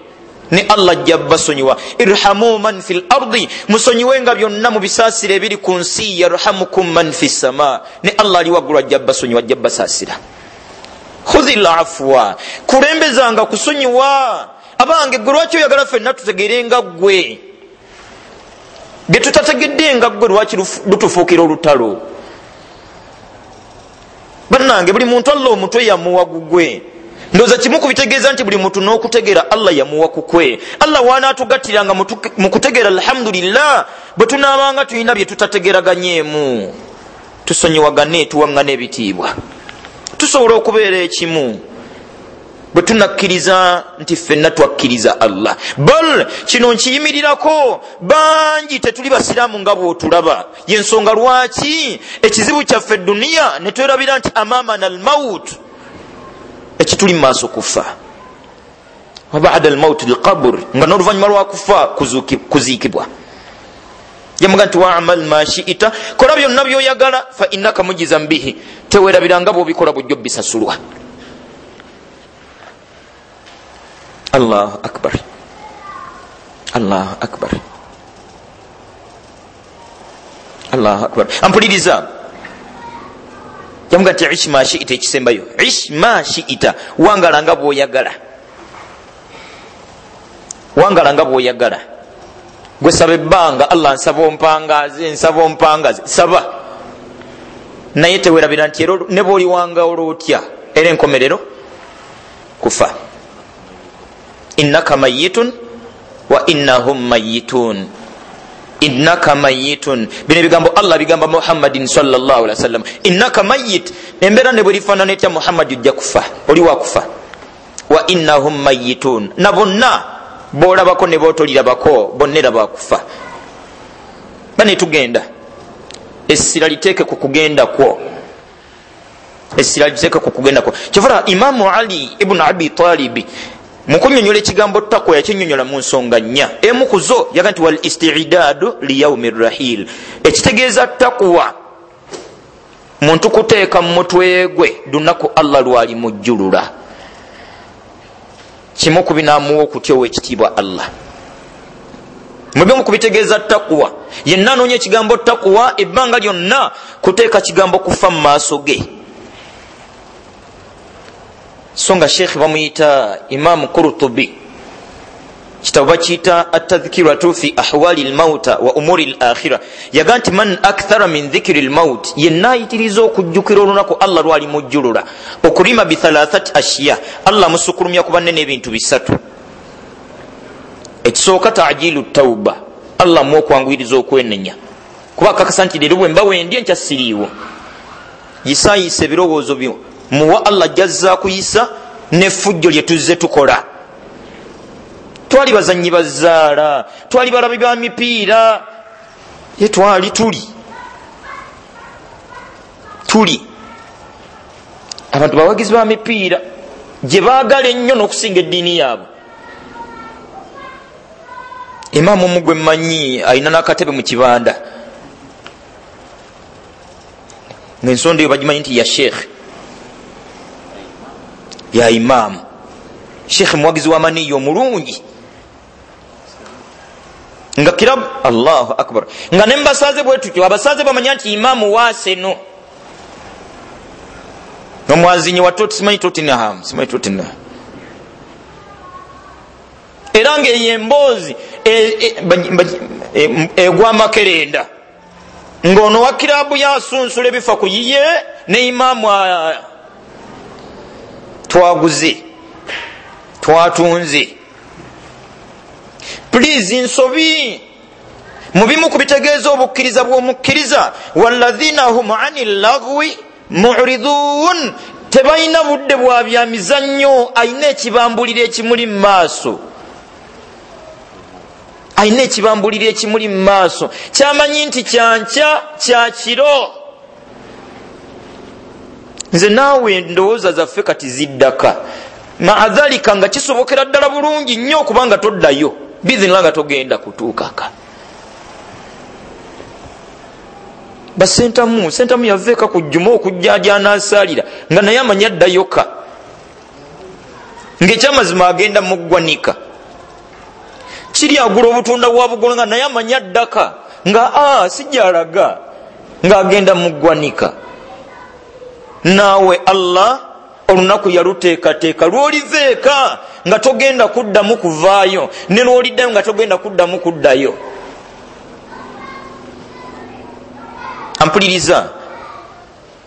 ne Allah ajja basonyiwa. Irhamu man fil ardi, musonyiwenga byonna mu bisaasira ebiri ku nsi. Yarhamukum man fis sama, ne Allah ali waggulu ajja basonyiwa, ajja basaasira. Khudhil afwa, kulembezanga kusonyiwa. Abange gwe lwaki oyagala ffenna tutegeere nga ggwe? Bye tutategedde nga ggwe lwaki lutufuukira olutalo? Bannange buli muntu Allah omutwe yamuwa gugwe. Ndowooza kimu ku bitegeeza nti buli muntu n'okutegeera Allah yamuwa kukwe. Allah w'anaatugattiranga mu kutegeera, alhamdulillah. Bwe tunaabanga tulina bye tutategeeraganyeemu, tusonyiwagane, tuwaŋŋane ebitiibwa, tusobola okubeera ekimu bwe tunakkiriza nti ffenna twakkiriza Allah. Bal kino nkiyimirirako, bangi tetuli basiraamu nga bw'otulaba. Y'ensonga lwaki ekizibu kyaffe duniya ne twerabira nti amamana almaut, ekituli mu maaso kufa, wa ba'da almaut alqabr, nga n'oluvannyuma lwa kufa kuziikibwa. Yamuga nti wa'mal ma shi'ita, kola byonna by'oyagala, fa innaka mujizan bihi, tewerabiranga bw'obikola bujjo bisasulwa. Allahu akbar, Allahu akbar, Allahu akbar. Ampuliriza, yamuga nti ish ma shi'ita, ekisembayo ish ma shi'ita, wangala nga bw'oyagala, wangala nga bw'oyagala. Gwe saba ebbanga, Allah nsaba ompangaze, nsaba ompangaze, saba. Naye tewerabira nti era ne bw'oliwangala otya, era enkomerero kufa. Innaka mayyitun wa innahum mayyitun. Innaka mayitun, bino ebigambo Allah bigamba Muhammadin sallallahu alaihi wasallam. Innaka mayit, embeera ne bwerifaanana etya Muhammadi ojja kufa, oli wakufa. Wa innahum mayitun, na bonna boolabako ne bootolirabako bonna era bakufa. Bane tugenda, essira liteeke ku kugenda kwo, essira liteeke ku kugenda kwo. Kyova Imamu Ali ibn Abi Talibi mukunyonyola ekigambo takwa yakinyonyola mu nsonga nnya. Emu ku zo yaga nti wal istiidadu liyaumi rrahil, ekitegeeza takwa muntu kuteeka mu mutwe gwe lunaku Allah lwali mujjulula. Kimu ku binaamuwa okutya ow'ekitiibwa Allah. Mubimu kubitegeeza takwa, yenna anoonya ekigambo takwa ebbanga lyonna kuteeka kigambo kufa mu maaso ge. So nga Sheikh bamuyita Imam Qurtubi, kitabo bakiyita Atadhkiratu fi ahwali lmauta wa umuri l akhira, yaga nti man akthara min dhikri lmaut, yenna ayitiriza okujjukira olunaku Allah lwali mujjulula, okulima bithalathati ashiya, Allah musukulumya ku banne n'ebintu bisatu. Ekisooka tajilu tauba, Allah mu okwanguyiriza okwenenya, kuba akakasa nti leero bwe mba wendi enkya siriiwo. Yisaayisa ebirowoozo byo muwa Allah jazza kuyisa n'effujjo lye tuzze tukola. Twali bazannyi bazaala, twali balabi ba mipiira, ye twali tuli tuli abantu bawagizi ba mipiira gye baagala ennyo n'okusinga eddiini yaabwe. Imaamu omu gwe mmanyi alina n'akatebe mu kibanda, ng'ensonda eyo bagimanyi nti ya sheekh, ya imaamu. Sheekh muwagizi w'amaniyo omulungi nga kirabu, Allahu akbar, nga ne mbasaze bwe tutyo abasaze bamanya nti imaamu waaseno nomwazinyi wa Tot, simanyi Tottenham, simanyi Tottenham. Era ng'eyo emboozi egwa makerenda, ng'ono wa kirabu yasunsula ebifa ku yiye ne imaamu twaguze twatunze. Please, nsobi mu bimu ku bitegeeza obukkiriza bw'omukkiriza, walladhina hum ani llagwi muridun, tebalina budde bwa bya mizannyo, alina ekibambulira ekimuli mu maaso, alina ekibambulira ekimuli mu maaso, kyamanyi nti kyankya kya kiro. Nze naawe endowooza zaffe kati ziddaka maadhalika, nga kisobokera ddala bulungi nnyo okubanga toddayo bizinira nga togenda kutuukaka. Basentamu sentamu yaveeka ku jjuma okujja gy'anaasaalira nga naye amanyi addayoka, ng'ekyamazima agenda mu ggwanika, kiri agula obutunda bwa bugolo nga naye amanyi addaka, nga a sijjalaga ng'agenda mu ggwanika. Naawe Allah olunaku yaluteekateeka lw'oliveeka nga togenda kuddamu kuvaayo, ne lw'oliddayo nga togenda kuddamu kuddayo. Ampuliriza,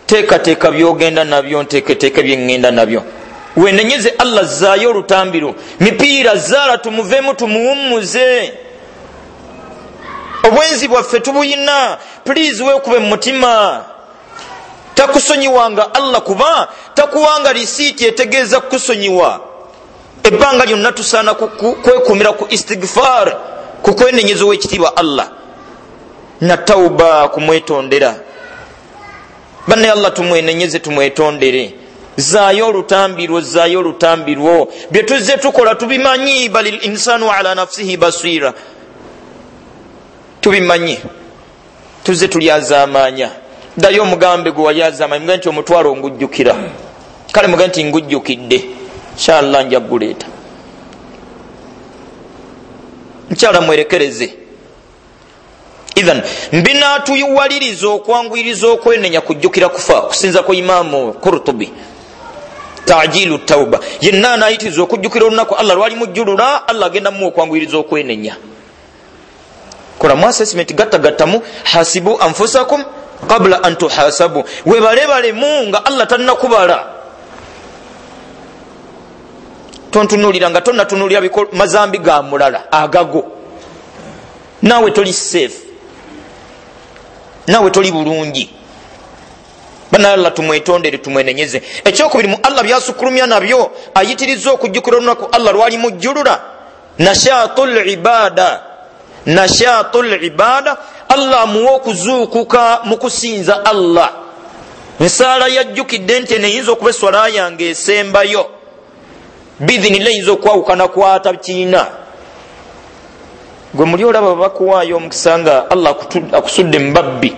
teekateeka by'ogenda nabyo, nteeketeeke bye ŋŋenda nabyo. Wenenyeze Allah, zzaayo olutambiro, mipiira zaala tumuveemu tumuwummuze. Obwenzi bwaffe tubuyina, please weekube mu mutima. Takusonyiwanga Allah, kuba takuwanga risiiti etegeeza kukusonyiwa. Ebbanga lyonna tusaana kwekumira ku istighfar, ku kwenenyeza ow'ekitiibwa Allah, na tauba, kumwetondera. Banne Allah tumwenenyeze tumwetondere. Zaayo olutambi lwo, zaayo olutambi lwo, bye tuzze tukola tubimanyi, balil insanu ala nafsihi basira, tubimanyi, tuzze tulyazaamaanya. Ddayo omugambe gwe walyazaamaanya, mugambe nti omutwalo ngujjukira, kale mugambe nti ngujjukidde, inshallah nja kuguleeta. Mukyala mwerekereze. Idhan mbinaatuyiwaliriza okwanguyiriza okwenenya kujjukira kufa, kusinza ku Imaamu Qurtubi, tajilu tauba, yenna anaayitiriza okujjukira olunaku Allah lwali mujjulula, Allah agenda muwa okwanguyiriza okwenenya. Kolamu assessment, gattagattamu, hasibu anfusakum qabla an tuhasabu, webalebalemu nga Allah tannakubala. Tontunuulira nga tonnatunulira mazambi ga mulala agago. Naawe toli safe, naawe toli bulungi. Bana Allah tumwetondere, tumwenenyeze. Ekyokubiri mu Allah byasukulumya nabyo ayitiriza okujjukira olunaku Allah lwali mujjulula, nashatul ibada. Nashatul ibada, Allah amuwa okuzuukuka mu kusinza Allah. Ensaala yajjukidde nti eno eyinza okuba eswala yange esembayo, biidhinillah eyinza okwawukana kwata kiina. Gwe muli olaba bakuwaayo omukisa nga Allah akusudde mu babbi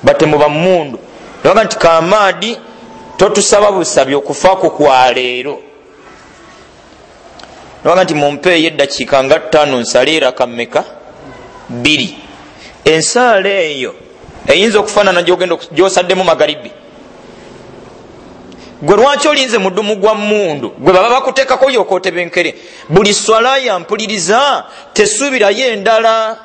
batemu bammundu, nabaga nti kamaadi totusaba busabi okufaako kwa leero, nabaga nti mumpeeyo eddakiika nga ttaano nsale eraka mmeka bbiri. Ensaala eyo eyinza okufaanana gyosaddemu magaribi. Gwe lwaki olinze mudumu gwa mmundu gwe baba bakuteekako lyoka otebenkere? Buli swala yampuliriza tesuubirayo endala.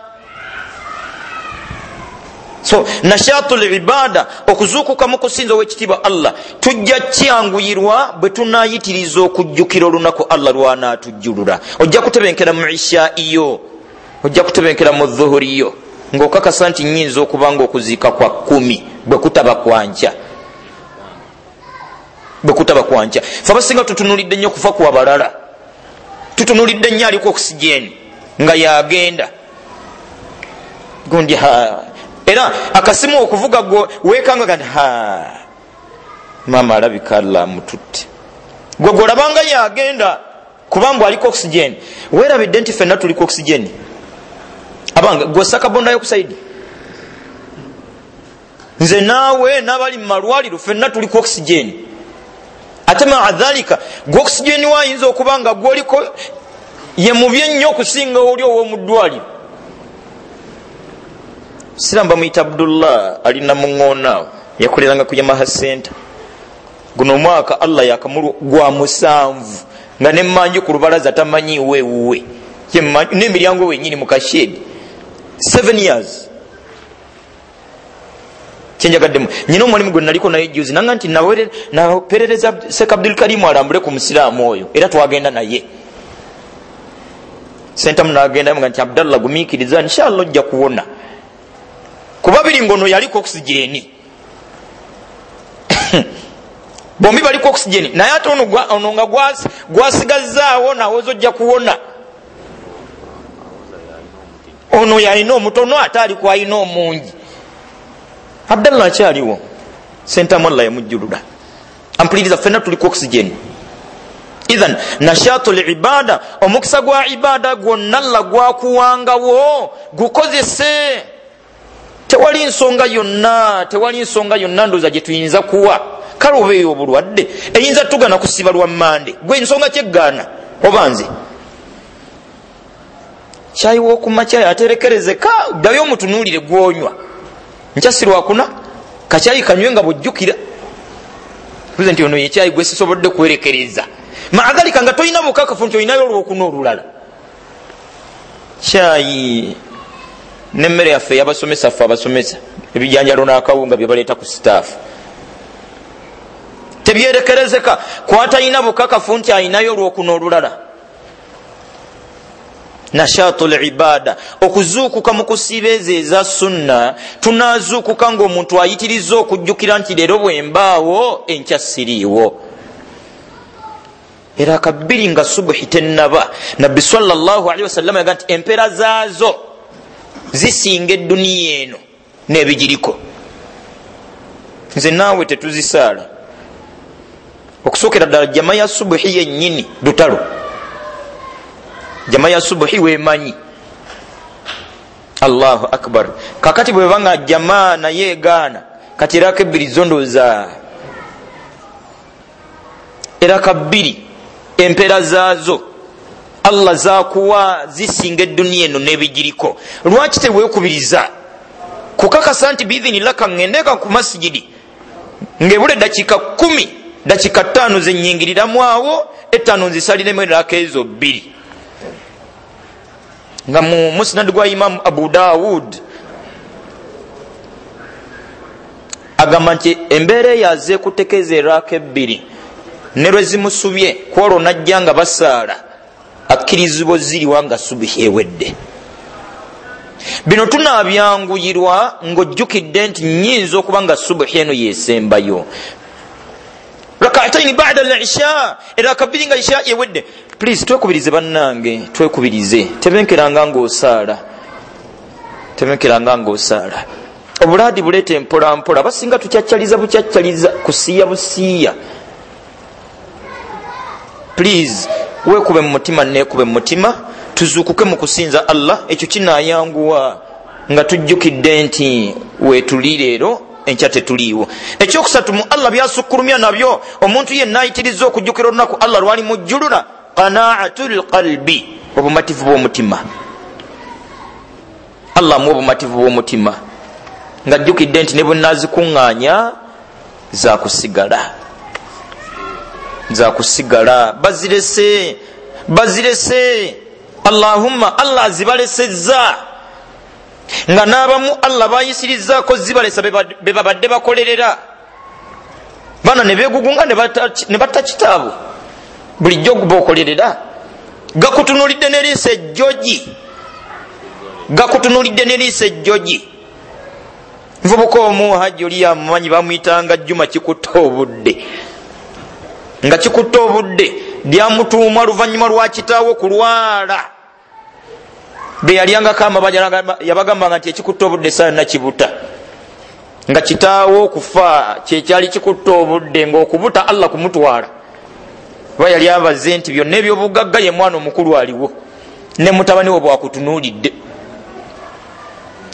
So nashatul ibada, okuzuukuka mu kusinza ow'ekitiibwa Allah, tujja kyanguyirwa bwe tunaayitiriza okujjukira olunaku Allah lwanaatujjulula. Ojja kutebenkera mu ishaiyo, ojja kutebenkera mu dhuhuriyo, ng'okakasa nti nnyinza okuba ng'okuziika kwa kkumi bwe kutaba kwankya, bwe kutaba kwankya. Fe abasinga tutunuulidde nnyo okufa kwa balala, tutunuulidde nnyo aliko oxygen nga yagenda gundi ha, era akasimu okuvuga gwe weekanga gandi ha, maama alabika Allah amututte. Gwe gwolabanga yagenda kubanga aliko oxygen, weerabidde nti ffenna tuliko oxygen. Abanga gwe osaka carbon dioxide, nze naawe n'abali mu malwaliro ffenna tuliko oxygen. Ate maa dhalika gwe oxygen wayinza okuba nga gwoliko ye mubi ennyo okusinga oli ow'omu ddwaliro. Siramu bamuyita Abdullah alina muŋŋoonaawo, yakoleranga ku Yamaha Center. Guno omwaka Allah yakamulwa gwa musanvu nga nemmanju ku lubalaza tamanyiiwo ewuwe, n'emiryango wennyini mu kashedi. Seven years. Kyenjagaddemu nyina omulimu gwe naliko naye juzi nanga nti naperereza Sheikh Abdul Karim alambule ku musiraamu oyo, era twagenda naye sentamu nagenda nga nti Abdallah gumiikiriza inshallah ojja kuwona, kuba biri ngono yaliko oxygen bombi baliko oxygen, naye ate ono nga gwasigazaawo nawoza ojja kuwona. Ono yalina omutono ate aliko alina omungi. Abdallah akyaliwo, sentamu Allah yamujjulula. Ampuliriza, ffenna tuliko oxygen. Idhan nashatul ibada, omukisa gwa ibada gwonna Allah gwakuwangawo gukozese. Tewali nsonga yonna, tewali nsonga yonna ndowooza gye tuyinza kuwa. Kale obeeyo obulwadde eyinza tugana kusiba lwa mmande, gwe ensonga kyeggaana oba nze kyayi w'okumakya aterekerezeka, ddayo omutunuulire gw'onywa. Nkya si lwakuna, kakyayi kanywe nga bw'ojjukira buze nti ono ye kyayi gwe sisobodde kwerekereza. Maadhalika nga tolina bukakafu nti olinayo olwokuna olulala. Kyayi n'emmere yaffe ey'abasomesa ffe abasomesa ebijanjalo n'akawunga bye baleeta ku sitaafu tebyerekerezeka, kwatalina bukakafu nti alinayo olwokuna olulala. Nashatul ibada, okuzuukuka mu kusiiba ezo eza sunna. Tunaazuukuka ng'omuntu ayitiriza okujjukira nti leero bwe mbaawo enkya siriiwo. Era akabbiri nga subuhi tennaba, Nabbi sallallahu alaihi wasallam yaga nti empeera zaazo zisinga edduniya eno n'ebigiriko. Nze naawe tetuzisaala. Okusookera ddala jama ya subuhi yennyini lutalo, jama ya subuhi weemanyi. Allahu akbar. Kakati bweba nga jama naye egaana, kati eraka ebbiri zo ndowooza eraka bbiri empeera zaazo Allah zakuwa zisinga edduniya eno n'ebigiriko. Lwaki teweekubiriza kukakasa nti biidhinillah kaŋŋendeka ku masigidi ng'ebula eddakiika kkumi, dakiika ttaano zenyingiriramu awo, ettaano nzisaliremu eraka ezo bbiri. Nga mu musnad gwa Imamu Abu Dawud agamba nti embeera eyo azze kutekeeza eraka ebbiri ne lwe zimusubye kwolwo najja nga basaala akkirizibwa ziriwa nga subuhi ewedde. Bino tunabyanguyirwa ng'ojjukidde nti nnyinza okuba nga subuhi eno yesembayo. Rak'ataini ba'da al-isha, era kabiri nga isha yewedde. Please twekubirize bannange, twekubirize. Tebenkeranga ng'osaala, tebenkeranga ng'osaala. Obuladi buleete mpola mpola, basinga tukyakyaliza bukyakyaliza, kusiiya busiiya. Please weekube mu mutima, neekube mu mutima, tuzuukuke mu kusinza Allah. Ekyo kinaayanguwa nga tujjukidde nti weetuli leero, enkya tetuliiwo. Ekyokusatu mu Allah byasukkulumya nabyo, omuntu yenna ayitiriza okujjukira olunaku Allah lwali mujjulula, qanaatul qalbi, obumativu bw'omutima. Allah amuwa obumativu bw'omutima ng'ajjukidde nti ne bwe nnaazikuŋŋaanya zaakusigala, zakusigala. Bazirese, bazirese. Allahumma, Allah azibalesezza, nga n'abamu Allah bayisirizaako zibalesa be babadde bakolerera. Bana ne beegugunga ne batta kitaabwe, bulijjo bokolerera. Gakutunuulidde n'eriiso ejjogi, gakutunuulidde n'eriiso ejjogi. Nvubuka omu Hajji oli yamumanyi, bamuyitanga Juma Kikutta obudde. Nga kikutta obudde lyamutuumwa luvannyuma lwa kitaawe kulwala. Be yalyangako amabanja yabagambanga nti ekikutta obudde saa yonna kibuta. Nga kitaawe okufa kyekyali kikutta obudde, ng'okubuta Allah kumutwala. Kuba yali abaze nti byonna ebyobugagga ye mwana omukulu aliwo, ne mutabani we bwakutunuulidde.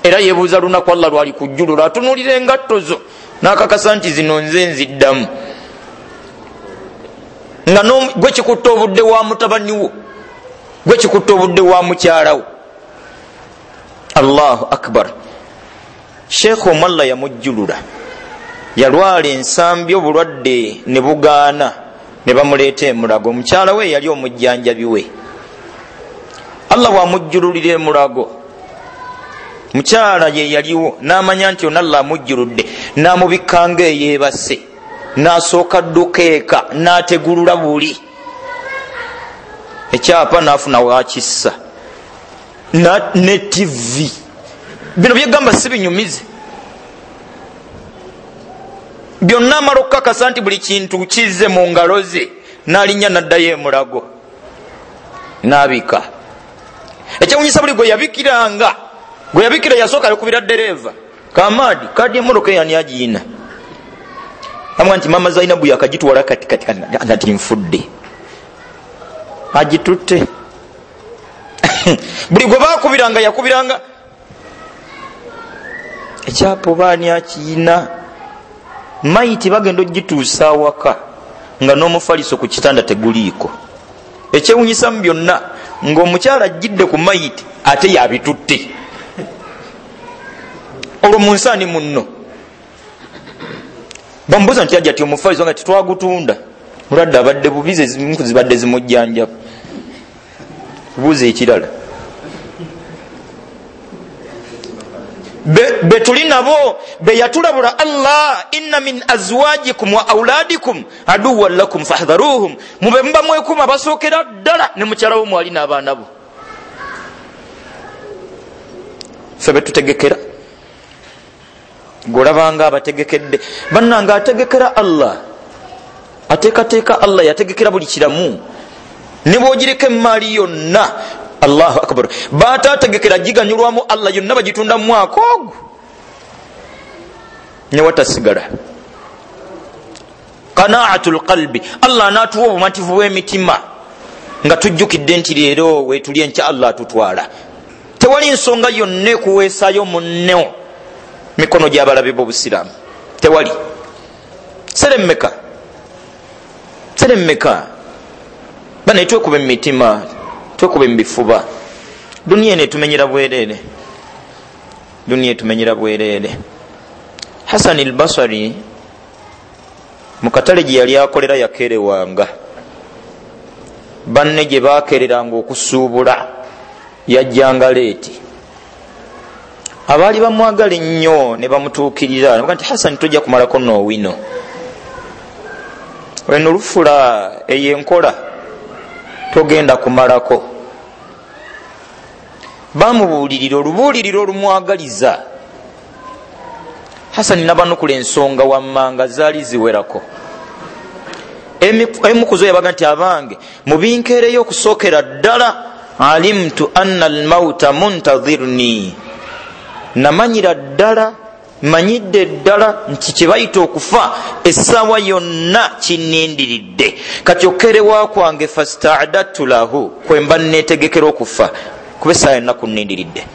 Era yeebuuza lunaku Allah lwali kujjulula, atunuulira engatto zo n'akakasa nti zino nze nziddamu. Nga gwe kikutta obudde wa mutabani wo, gwe kikutta obudde wa mukyala wo. Allahu akbar. Sheikh Omalla yamujjulula, yalwala ensambi obulwadde ne bugaana, ne bamuleeta emulago. Omukyala we yali omujjanjabi we. Allah bw'amujjululira emulago, mukyala ye yaliwo n'amanya nti ono Allah amujjuludde, n'amubikkanga eyeebase, n'asooka dduka eka, n'ategulula buli ekyapa, n'afuna wakissa ne T V. Bino byegamba si binyumize byonna. Amala okukakasa nti buli kintu kizze mu ngalo ze, n'alinnya n'addayo emulago n'abika. Ekyewunyisa, buli gwe yabikiranga, gwe yabikira yasooka yakubira ddereeva Kamadi, kadi emmotoka eyani agiyina, amwa nti mama Zainabu yakagitwala kati kati kati nfudde, agitutte. Buli gwe baakubiranga yakubiranga ekyapa obaani akiyina. Mayiti bagenda ogituusa awaka nga n'omufaliso ku kitanda teguliiko. Ekyewunyisa mu byonna, ng'omukyala ajjidde ku mayiti ate yabitutte. Olwo mu nsaani munno bamubuuza nti ajja ti omufaliso nga tetwagutunda, mulwadde abadde bubi, ze zibadde zimujjanjaba. Buuza ekirala, betuli nabo beyatulabula Allah, inna min azwajikum wa auladikum aduwwan lakum fahdharuhum, mube muba mwekuma basookera ddala ne mukyala wo mwali n'abaana bo. Ffe betutegekera, golabanga abategekedde bannange, ategekera Allah, ateekateeka Allah, yategekera buli kiramu, ne bw'ogireka emaali yonna. Allahu akbar. Baatategekera giganyulwamu Allah, yonna bagitunda mu mwaka ogwo ne watasigala. Qanaatul qalbi, Allah anaatuwa obumativu bw'emitima nga tujjukidde nti leero weetuli, enkya Allah atutwala. Tewali nsonga yonna ekuweesaayo munno mikono gy'abalabe b'obusiraamu, tewali. Seremmeka, seremmeka bane, twekube mu mitima, twekube mu bifuba. Duniya eno etumenyera bwereere, duniya etumenyera bwereere. Hasan al-Basri mu katale gye yali akolera yakeerewanga, banne gye baakeereranga okusuubula yajjanga leeti. Abaali bamwagala ennyo ne bamutuukirira ne bagamba nti Hasan, tojja kumalako noowino, eno lufula eyo enkola togenda kumalako. Bamubuulirira olubuulirira olumwagaliza. Hasani nabanukula ensonga wammanga zaali ziwerako. Emu ku zo yabaga nti abange mubinkeereyo okusookera ddala, alimtu anna almauta muntadhirni, namanyira ddala, manyidde ddala nti kye bayita okufa essaawa yonna kinnindiridde. Kati okkerewa kwange fasta'adadtu lahu, kwe mba neetegekera okufa kuba essaawa yonna kunnindiridde.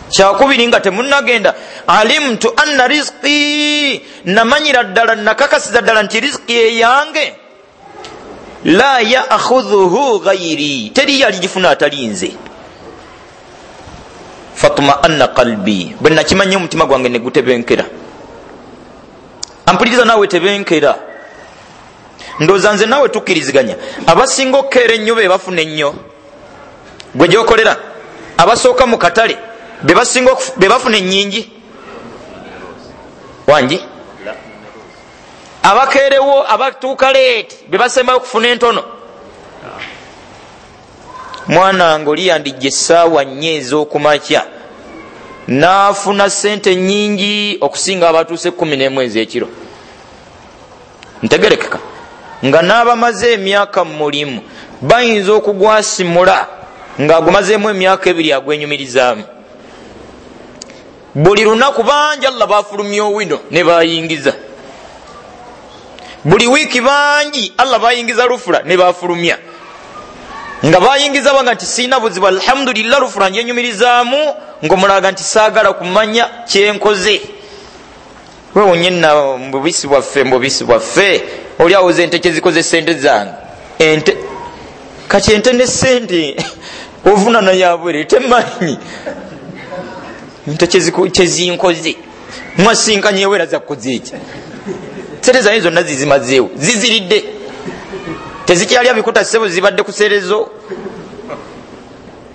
Kyakubiri nga temunnagenda, alimtu anna rizqi, namanyira ddala, nakakasiza ddala nti rizqi eyange la ya'khudhuhu ghayri, teri yaligifuna atali nze. Fatma'anna qalbi, bwe nakimanya omutima gwange ne gutebenkera. Ampuliriza naawe tebenkera. Ndowooza nze naawe tukkiriziganya, abasinga okukeera ennyo be bafuna ennyo. Gwe gy'okolera abasooka mu katale be basinga be bafuna ennyingi. Wangi abakeerewo abatuuka leeti be basembayo okufuna entono. Mwana wange oli yandijja essaawa nnya ez'okumakya n'afuna ssente nnyingi okusinga abatuuse ekkumi n'emu ez'ekiro. Ntegerekeka nga n'abamaze emyaka mu mulimu bayinza okugwasimula ng'agumazeemu emyaka ebiri agwenyumirizaamu. Buli lunaku bangi Allah bafulumya owino ne bayingiza. Buli wiiki bangi Allah bayingiza lufula ne bafulumya. Nga bayingiza banga nti sirina buzibu, alhamdulillah lufula njenyumirizaamu, ng'omulaga nti saagala kumanya kyenkoze. Weewonye nna mu bubisi bwaffe, mu bubisi bwaffe oli awoza ente kyezikoze sente zange. Ente kati ente ne sente ovunana yabwere temanyi ente kyezinkoze. Mwasinkanye ewera zakukoze eki? Sente zange zonna zizimazeewo, ziziridde, tezikyalya bikuta ssebo, zibadde ku serezo.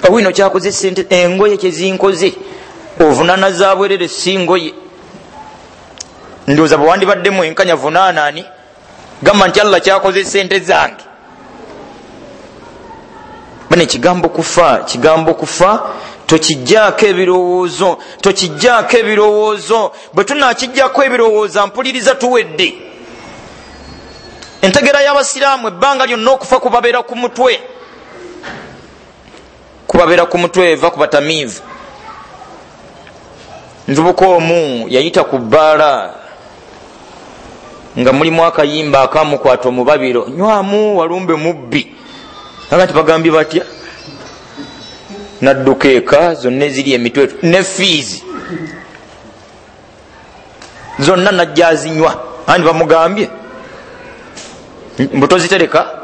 Owino kyakoze sente, engoye kyezinkoze ovunana zabwerere si ngoye. Ndowooza bwe wandibaddemu enkanya vunaana ani gamba nti Allah kyakoze sente zange. Bane kigambo kufa, kigambo kufa tokijjaako ebirowoozo, tokijjaako ebirowoozo. Bwe tunaakijjako ebirowoozo mpuliriza tuwedde. Entegera y'abasiraamu ebbanga lyonna okufa kubabeera ku mutwe, kubabeera ku mutwe eva ku batamiivu. Nvubuka omu yayita ku bbaala nga mulimu akayimba akamukwata omubabiro, nywamu walumbe mubbi. Aga nti bagambye batya? Nadduka eka zonna eziri emitwe ne fiizi zonna najja azinywa. Andi bamugambye mbu tozitereka,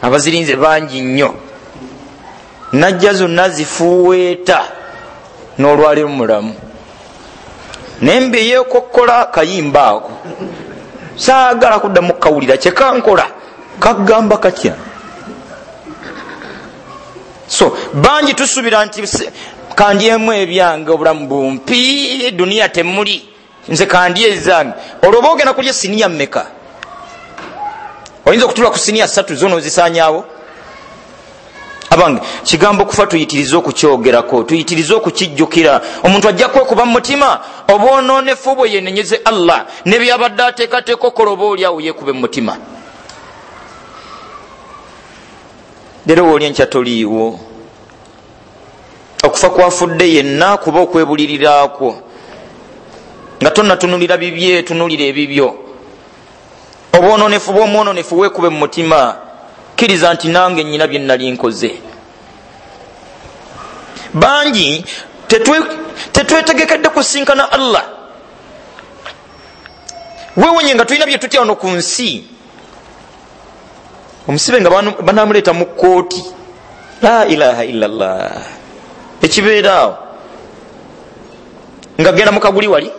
abazirinze bangi nnyo. Najja zonna zifuweeta n'olwaleero mulamu. Naye mbi yeekokkola kayimba ako, saagala kuddamu kukawulira kyekankola kagamba katya. So bangi tusuubira nti kandyemu ebyange obulamu bumpi, duniya temuli, nze kandye ezange. Olwo oba ogenda kulya siniya mmeka? Oyinza okutula ku siniya ssatu zo n'ozisaanyaawo? Abange kigambo kufa tuyitirize okukyogerako, tuyitirize okukijjukira. Omuntu ajja kwekuba mu mutima obwonoonefu bwe yenenyeze Allah ne byabadde ateekateeka okukola oba oli awo yeekube mu mutima. Leero wooli enkya toliiwo. Okufa kwafudde yenna kuba okwebulirirakwo nga tonnatunulira bibye, tunulira ebibyo. Obwonoonefu bw'omwononefu weekube mu mutima, kkiriza nti nange nnyina bye nali nkoze. Bangi tetwetegekedde kusinkana Allah. Weewonye nga tulina bye tutya wano ku nsi. Omusibe nga banamuleeta mu kkooti, la ilaha illallah, ekibeera awo nga genda mu kaguli wali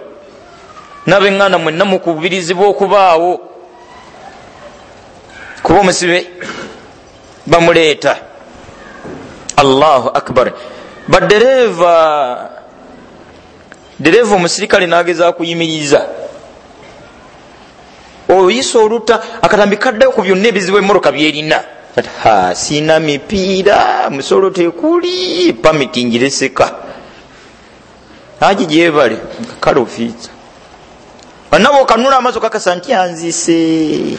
n'ab'eŋŋanda mwenna mukubirizibwa okubaawo kuba omusibe bamuleeta. Allahu akbar. Badereeva, dereeva omusirikale n'agezaako kuyimiriza, oyisa oluta akatambi kaddayo ku byonna ebizibu emmotoka byerina. Ha, sina mipiira, musolo tekuli, pamiti ngireseka. Haji gyebale kale ofiisa banabo okanula amaaso kakasa nti anzise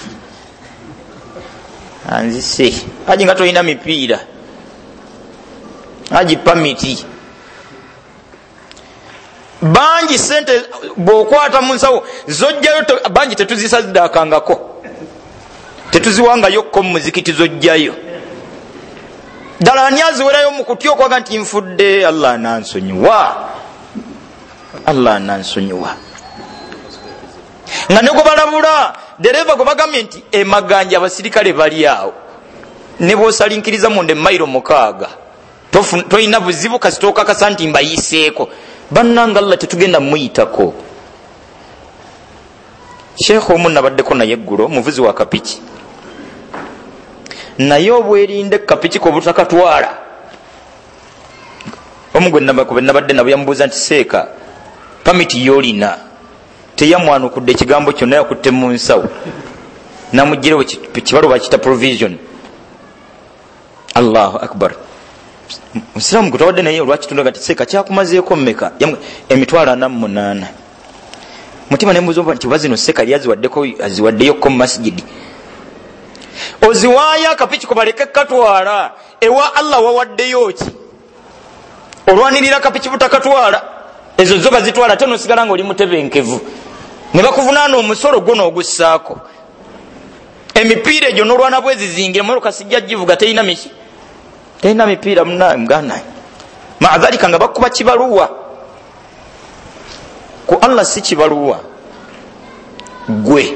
anzise. Haji nga tolina mipiira, haji pamiti bangi sente bw'okwata mu nsawo zojjayo, bangi tetuzisaddaakangako, tetuziwangayokko mu muzikiti zojjayo. Ddala ani aziwerayo mu kutya okwaga nti nfudde, Allah anansonyiwa, Allah anansonyiwa. Nga ne gwe balabula dereva gwe bagambye nti emaganja abasirikale bali awo, ne bw'osalinkiriza munda emayiro mukaaga tolina buzibu kasita okakasa nti mbayiseeko. Bannanga Allah tetugenda muyitako. Sheekh omu nabaddeko naye eggulo, omuvuzi wa kapiki, naye obwerinde kapiki kobutakatwala. Omu gwe nabadde nabo yamubuuza nti seeka pamiti yolina, teyamwanukudde ekigambo kyonna, yakutte mu nsawo namugirewo kibaluwa bakiyita provision. Allahu akbar. Musiraamu gwe twawadde naye olwakitundaga nti seeka kyakumazeeko mmeka? Emitwalo ana mu munaana. Mutima nembuuza nti oba zino seeka yali aziwaddeko aziwaddeyokko mu masijidi, oziwaayo akapiki kubaleke katwala, ewa Allah wawaddeyo ki? Olwanirira akapiki butakatwala, ezo zo bazitwala ate nosigala nga oli mutebenkevu, ne bakuvunaana omusolo gwo n'ogussaako. Emipiira egyo n'olwana bwezizingira emmotoka sijja givuga, terina miki, terina mipiira muganda. Maadhalika nga bakuba kibaluwa ku Allah, si kibaluwa gwe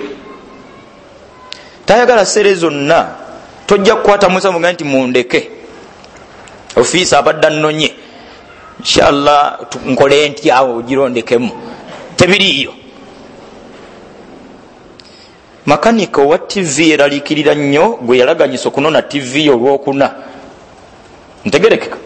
tayagala sere zonna. Tojja kukwata musa muga nti mundeke, ofiisa abadde annonye, inshallah nkole nti awo ogirondekemu, tebiriiyo. Makanika owa T V eraliikirira nnyo gwe yalaganyisa okunona T V olwokuna. Ntegerekeka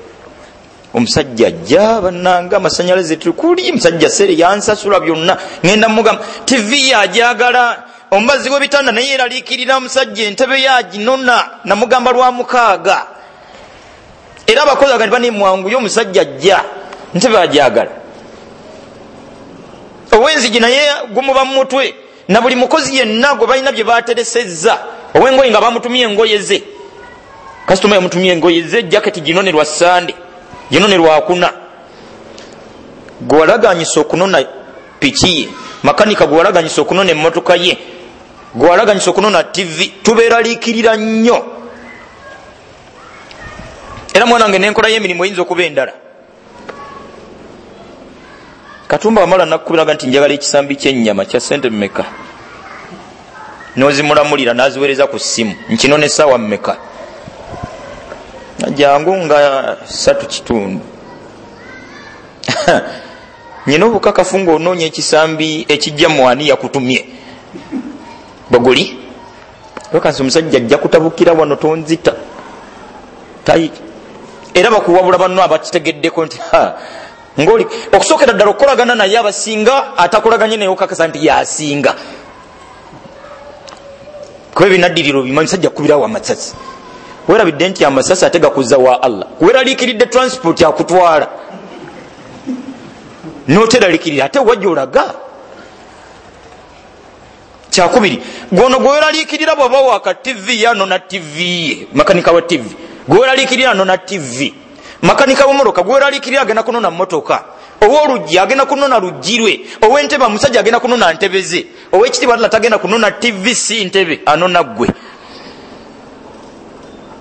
omusajja ajja bannanga amasanyalaze tukuli, musajja sere yansasula byonna, ngenda mugamba T V yajagala omubazi w'ebitanda naye eraliikirira omusajja entebe yaginona, namugamba lwa mukaaga. Era abakozi agandi banemwanguye omusajja ajja ntebe ajagala. Ow'enzigi naye gumuba mu mutwe, na buli mukozi yenna gwe balina bye bateresezza. Ow'engoye nga bamutumye engoye ze, kasitoma yamutumye engoye ze, jaketi ginone lwa Sande, ginone lwakuna. Gwe walaganyisa okunona piki ye, makanika gwe walaganyisa okunona emmotoka ye, gwe walaganyisa okunona T V, tubeeraliikirira nnyo. Era mwana wange n'enkola y'emirimu eyinza okuba endala. Katumba wamala nakukubiraga nti njagala ekisambi ky'ennyama kya sente mmeka, n'ozimulamulira n'aziweereza ku ssimu nkinone essaawa mmeka, jangu nga ssatu kitundu. Nyina obukakafu ng'onoonya ekisambi ekijja mu ani yakutumye bweguli okansi omusajja ajja kutabukira wano tonzita tayi. Era bakuwabula banno abakitegeddeko nti ngoli okusookera ddala okukolagana naye abasinga, atakolaganye naye okakasa nti yasinga, kuba ebinaddirira obimanyi musajja akubirawo amasasi. Weerabidde nti amasasi ate gakuza wa Allah. Weeraliikiridde transport akutwala n'oteraliikirira ate wajja olaga. Kyakubiri, gwono gwe weeraliikirira bw'oba waka T V yanona T V ye, makanika wa T V gwe weeraliikirira anona T V, makanika w'emmotoka gwe weeraliikirira agenda kunona mmotoka, ow'oluggi agenda kunona luggi lwe, ow'entebe omusajja agenda kunona ntebe ze, ow'ekitiibwa Allah tagenda kunona T V si ntebe, anona ggwe.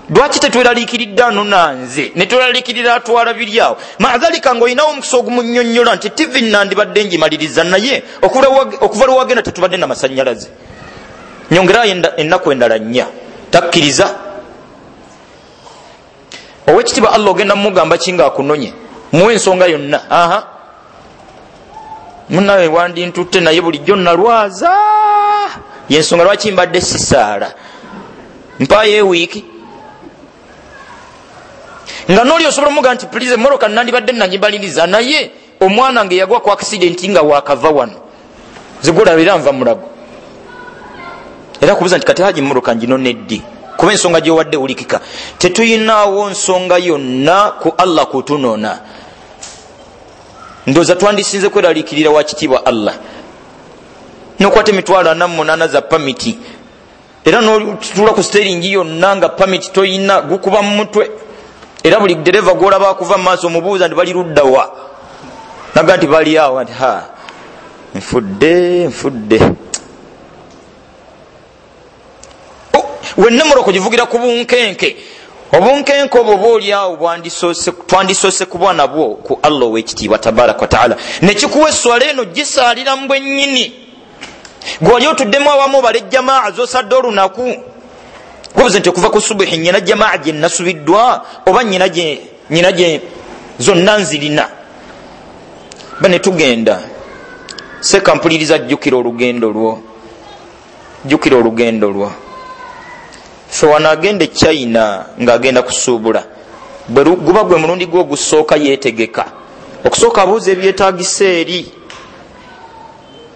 Lwaki tetweraliikiridde anona nze ne tweraliikirira atwala biri awo? Maadhalika ng'olinawo omukisa ogumunnyonnyola nti T V nandibadde ngimaliriza, naye okuva lwe wagenda tetubadde na masannyalaze, nyongerayo ennaku endala nnya. Takkiriza. Ow'ekitiibwa Allah ogenda mumugamba ki ng'akunonye? Muwe ensonga yonna. Aha, munnawe wandintutte naye bulijjo nalwaza, yensonga lwaki mbadde sisaala, mpaayo ewiiki. Nga n'oli osobola omuga nti please emmotoka nandibadde nangimaliriza, naye omwana nge yagwa ku accident nga wakava wano, zigulabira nva mulago. Era kubuuza nti kati haji emmotoka nginone ddi? Kuba ensonga gyowadde wulikika. Tetuyinaawo nsonga yonna ku Allah kutunona. Ndowooza twandisinze kweraliikirira wa kitiibwa Allah. Nokwata emitwalo ana mu munaana za pamiti, era n'otuula ku siteringi yonna nga pamiti toyina, gukuba mu mutwe. Era buli dereva gw'olaba akuva mu maaso omubuuza nti bali ludda wa, naga nti bali awo, nti ha nfudde nfudde. Wenna mmoroko givugira ku bunkenke. Obunkenke obwo bw'oli awo twandisoose kuba nabwo ku Allah ow'ekitiibwa tabaraka wa taala. Nekikuwa esswala eno gisaalira mu bwennyini. Gwali otuddemu awamu obala ejjamaa z'osadde olunaku. Gwobuze nti okuva ku subuhi nnyina jamaa gye nasubiddwa oba nnyina gye nnyina gye zonna nzirina. Ba ne tugenda. Seka mpuliriza, jjukira olugendo lwo. Jjukira olugendo lwo. Ffe wano agenda e China ng'agenda kusuubula, bwe guba gwe mulundi gwe ogusooka yeetegeka. Okusooka abuuza ebyetaagisa eri.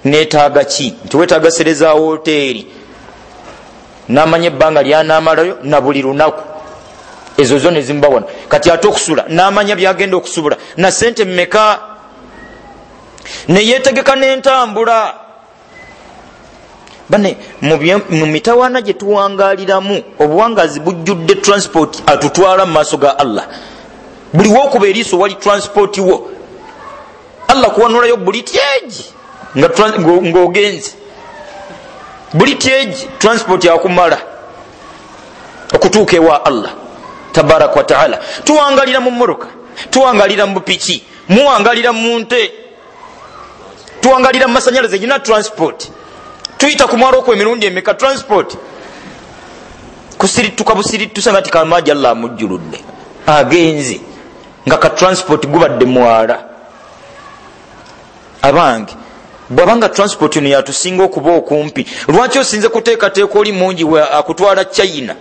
Neetaaga ki? Nti weetaaga sere za woteeri. N'amanya ebbanga ly'anaamalayo na buli lunaku. Ezo zo ne zimuba wano. Kati ate okusula n'amanya by'agenda okusubula na ssente mmeka. Ne yeetegeka n'entambula. Bane mu mitawaana gye tuwangaaliramu obuwangaazi bujjudde transport atutwala mu maaso ga Allah. Buli w'okuba eriiso wali transport wo. Allah kuwanulayo buli tyeji ng'ogenze. Buli tyeji transport yakumala okutuuka ewa Allah tabaraka wa taala. Tuwangalira mu mmotoka, tuwangalira mu piki, muwangalira mu nte, tuwangalira mu masanyalaze gina transport. Tuyita ku mwalo okwo emirundi emeka transport. Kusirituka busiritusa nga tikamaji Allah amujjuludde agenze nga ka transport gubadde mwala. Abange, bw'abanga transport eno yatusinga okuba okumpi, lwaki osinze kuteekateeka oli mungi we akutwala China?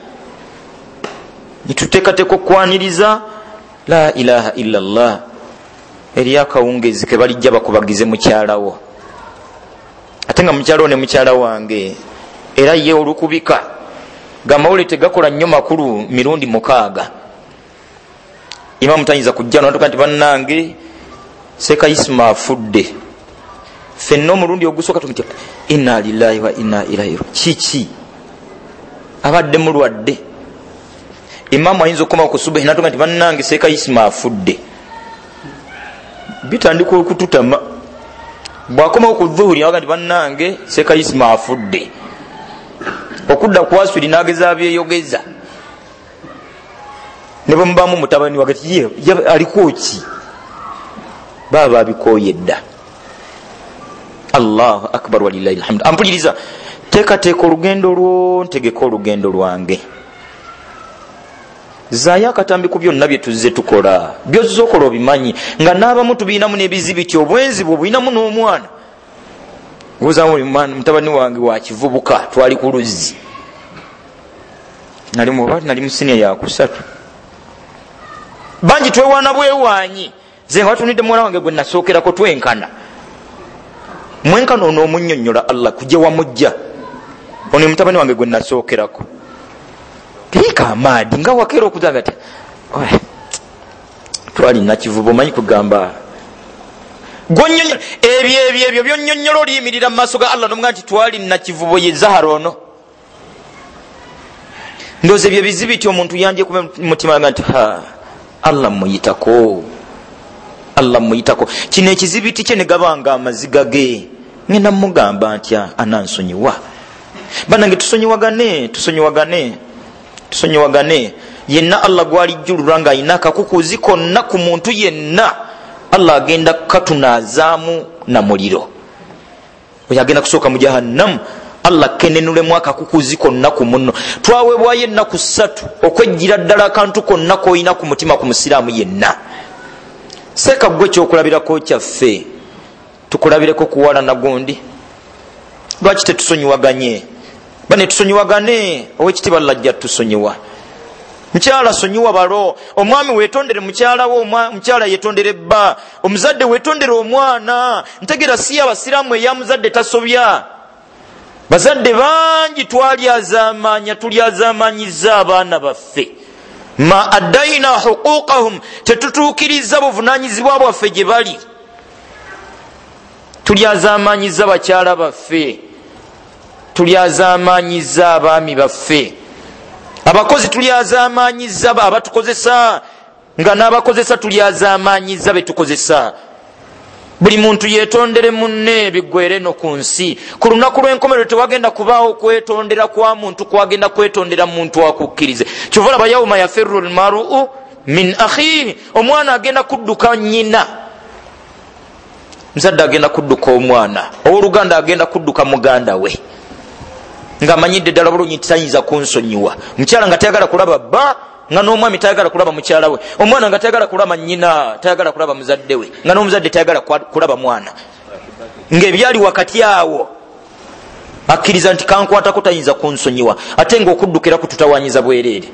Nituteekateeka okwaniriza la ilaha illa Allah. Eri akawungezi ke balijja bakubagize mukyalawo. Ate nga mukyalawo ne mukyala wange era ye olukubika gamawulire tegakola nnyo makulu mirundi mukaaga. Imamu tayinza kujja n'atuka nti bannange Seeka Isma afudde. Ffenna omulundi ogusooka tumutya inna lillahi wa inna ilaihi. Kiki? Abadde mulwadde. Imamu ayinza okukomawo ku subuhi n'atuka nti bannange Seeka Isma afudde. Bitandika okututama. Bw'akomawo ku dhuhuri n'aga nti bannange Seeka Isma afudde. Okudda ku aswiri n'ageza byeyogeza. Ne bwe mubaamu mutabani wange ati ye aliko ki? Baaba abikooye dda. Allahu akbar walillahi alhamdu. Ampuliriza, teekateeka olugendo lwo, ntegeka olugendo lwange. Zaayo akatambi ku byonna bye tuzze tukola. By'ozze okola obimanyi nga n'abamu tubiinamu n'ebizibiti, obwenzi bwe bulinamu n'omwana. Ng'ozaamu mutabani wange wa kivubuka, twali ku luzzi. Nali mu nali mu siniya ya kusatu. Bangi twewaana bwewaanyi. Nze nga batunidde muwala wange gwe nasookerako twenkana. Mwenkana ono omunnyonnyola Allah kujja wamujja. Ono mutabani wange gwe nasookerako. Teeka amaadi nga wakeera okuzanga ati twali nakivubo omanyi kugamba gwonnyonnyola ebyo ebyo ebyo byonnyonnyola oliyimirira mu maaso ga Allah n'omugamba nti twali nakivubo ye Zahara ono. Ndowooza ebyo bizibiti omuntu yandyekuba mu mutima nga nti ha Allah muyitako, Allah muyitako. Kino ekizibiti kye ne gabanga amaziga ge ngenda mugamba ntya anansonyiwa. Bannange tusonyiwagane, tusonyiwagane, tusonyiwagane. Yenna Allah gwalijjululwa ng'alina akakukuzi konna ku muntu yenna, Allah agenda katunaazaamu na muliro. Oyo agenda kusooka mu jahannamu, Allah kenenulemu akakukuzi konna ku munno. Twaweebwayo ennaku ssatu okwejjira ddala akantu konna k'olina ku mutima ku musiraamu yenna. Seeka ggwe ekyokulabirako kyaffe, tukulabireko kuwalana gundi. Lwaki tetusonyiwaganye? Bane tusonyiwagane, owekitiibwa Allah ajja tusonyiwa. Mukyala sonyiwa balo, omwami weetondere mukyala wo, mukyala yeetondere bba, omuzadde weetondere omwana. Ntegeera si abasiraamu eya muzadde tasobya. Bazadde bangi twalyazaamaanya, tulyazaamaanyiza abaana baffe. Ma addaina huquqahum, tetutuukiriza buvunaanyizibwa bwaffe gye bali. Tulyazaamaanyiza bakyala baffe, tulyazaamaanyiza abaami baffe, abakozi tulyazaamaanyiza abatukozesa, nga n'abakozesa tulyazaamaanyiza betukozesa. Buli muntu yetondere munne biggwere no ku nsi. Ku lunaku lw'enkomerero tewagenda kubaawo kwetondera kwa muntu, kwagenda kwetondera muntu akukkirize. Kyova olaba yauma yafirru lmaru min akhihi, omwana agenda kudduka nnyina, muzadde agenda kudduka omwana, owooluganda agenda kudduka muganda we, ng'amanyidde ddala bulungi nti tayinza kunsonyiwa. Mukyala nga tayagala kulaba bba, nga n'omwami tayagala kulaba mukyala we, omwana nga tayagala kulaba nnyina, tayagala kulaba muzadde we, nga n'omuzadde tayagala kulaba mwana, ng'ebyali wakati awo akkiriza nti kankwatako tayinza kunsonyiwa, ate ng'okuddukira kututawanyiza bwereere.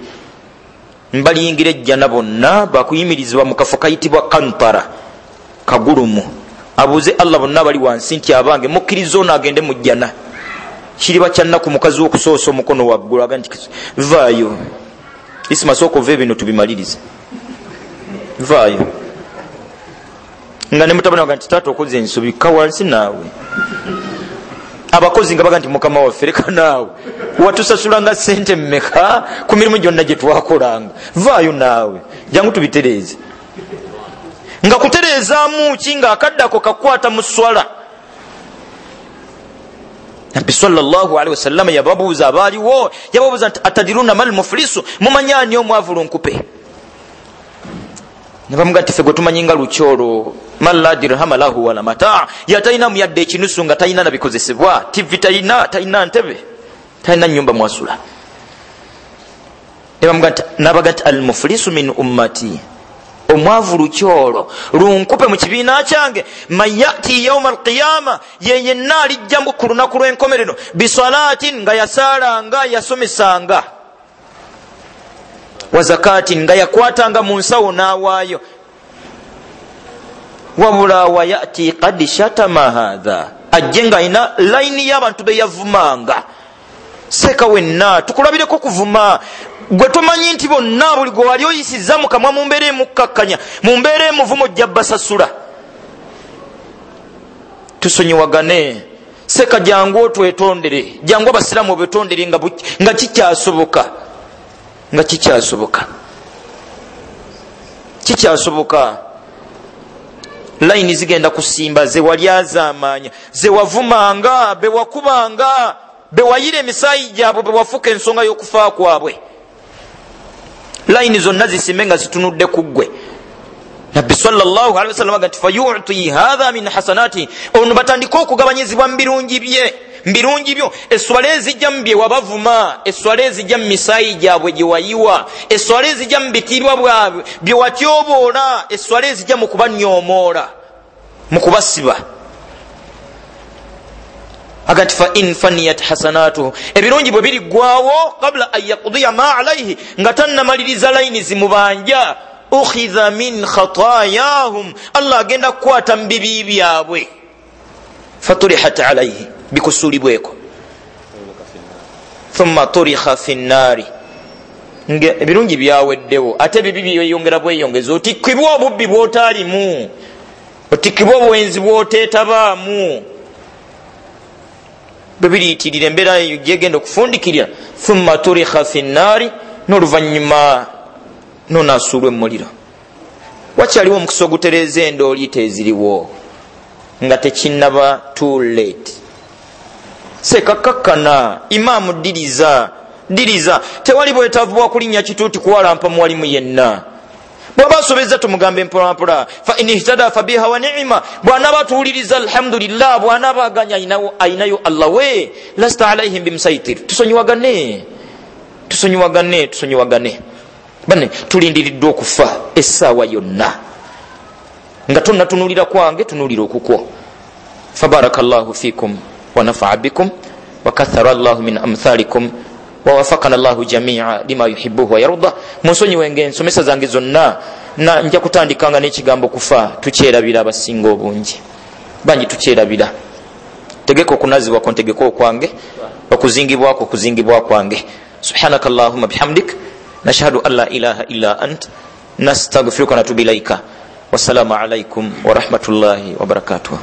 Mbaliyingira ejjana bonna bakuyimirizibwa mu kafo kayitibwa kantara, kagulumu. Abuuze Allah bonna bali wansi nti abange mukkiriza ono agende mu jjana. Kiriba kya nnaku mukazi w'okusoosa omukono waggulu aga nti vaayo Isima, sooka ova ebino tubimalirize, vaayo. Nga ne mutabani waga nti taata okoze ensobi, ka wansi naawe. Abakozi nga baga nti mukama waffe leka naawe, watusasulanga ssente mmeka ku mirimu gyonna gye twakolanga, vaayo naawe, jangu tubitereeze. Nga kutereezaamu ki nga akaddako kakwata mu swala. Nabbi sallallahu alaihi wasallam yababuuza abaaliwo, yababuuza nti atadiruna mal muflisu, mumanyi ani omwavu lunkupe? Ne bamuga nti ffe gwe tumanyi nga lukyolo, man la dirhama lahu wala mataa, yatalinamu yadde ekinusu nga talina nabikozesebwa, tivi talina, talina ntebe, talina nnyumba mwasula. Ne bamuga nti nabaga nti al muflisu min ummati, omwavu lukyolo lunkupe mu kibiina kyange, man yati yauma alqiyama, ye yenna alijja ku lunaku lw'enkomerero, bisalaatin, nga yasaalanga, yasomesanga, wa zakatin, nga yakwatanga mu nsawo n'awaayo, wabula wa yati qad shatama hadha, ajje nga alina layini y'abantu be yavumanga. Seeka wenna tukulabireko kuvuma gwe tomanyi nti bonna buli gwe wali oyisizza mu kamwa mu mbeera emukkakkanya, mu mbeera emuvumo ojja basasula. Tusonyiwagane. Seeka jangu otwetondere, jangu abasiraamu obetondere nga, nga kikyasoboka, nga kikyasoboka, kikyasoboka. Layini zigenda kusimba ze wali azaamaanya, ze wavumanga, be wakubanga, be wayira emisaayi gyabwe, be wafuuka ensonga y'okufa kwabwe. Layini zonna zisimbe nga zitunudde ku ggwe. Nabbi sallallahu alaihi wasallam agamba nti fayuti hadha min hasanati, ono batandika okugabanyizibwa mu birungi bye, mbirungi byo. Esswala ezijja mu bye wabavuma, esswala ezijja mu misaayi gyabwe gye wayiwa, esswala ezijja mu bitiibwa bwabwe bye watyoboola, esswala ezijja mu kubanyoomoola, mu kubasiba. Aga nti fa in faniyat hasanatuhu, ebirungi bwe biriggwawo, qabla an yaqdiya ma alaihi, nga tannamaliriza layini zimubanja, ukhidha min khatayahum, Allah agenda kukwata mu bibi byabwe, faturihat alaihi, bikusuulibweko, thumma turikha fi nnaari, ebirungi byaweddewo, ate ebibi byeyongera bweyongeza. Otikkibwa obubbi bw'otaalimu, otikkibwa obwenzi bw'oteetabaamu, bwe biriyitirira embeera eyo gyegenda okufundikirira, thumma turikha fi nnaari, n'oluvannyuma nonaasuulwa emmuliro. Wakyaliwo omukisa ogutereeza endooliita eziriwo nga tekinnaba too late. Sekakakkana, imaamu ddiriza, ddiriza. Tewali bwetaavu bwa kulinnya kituuti kuwalampa muwalimu yenna. Bw'aba asobezza tumugambe mpolampola, fa in ihtada fabiha wa ni'ima, bw'anaaba atuwuliriza alhamdulillah, bw'anaaba aganya ayinayo Allah we, lasta alaihim bimusaitir. Tusonyiwagane, tusonyiwagane, tusonyiwagane. Bane tulindiriddwa okufa essaawa yonna, nga tonnatunuulira kwange, tunuulira okukwo. Fabarakallahu fikum wa nafaa bikum wa kathara Allahu min amthalikum wa wafaqana Allahu jami'a lima yuhibbuhu wa yarda. Munsonyiwe ensomesa zange zonna, na nja kutandikanga n'ekigambo kufa. Tukyerabira abasinga obungi, bangi tukyerabira. Tegeka okunazibwako, ntegeka okwange, okuzingibwako okuzingibwa kwange. Subhanaka allahumma bihamdik, nashhadu an la ilaha illa ant, nastaghfiruka wa natubu ilaika. Wassalamu alaikum warahmatullahi wabarakatuh.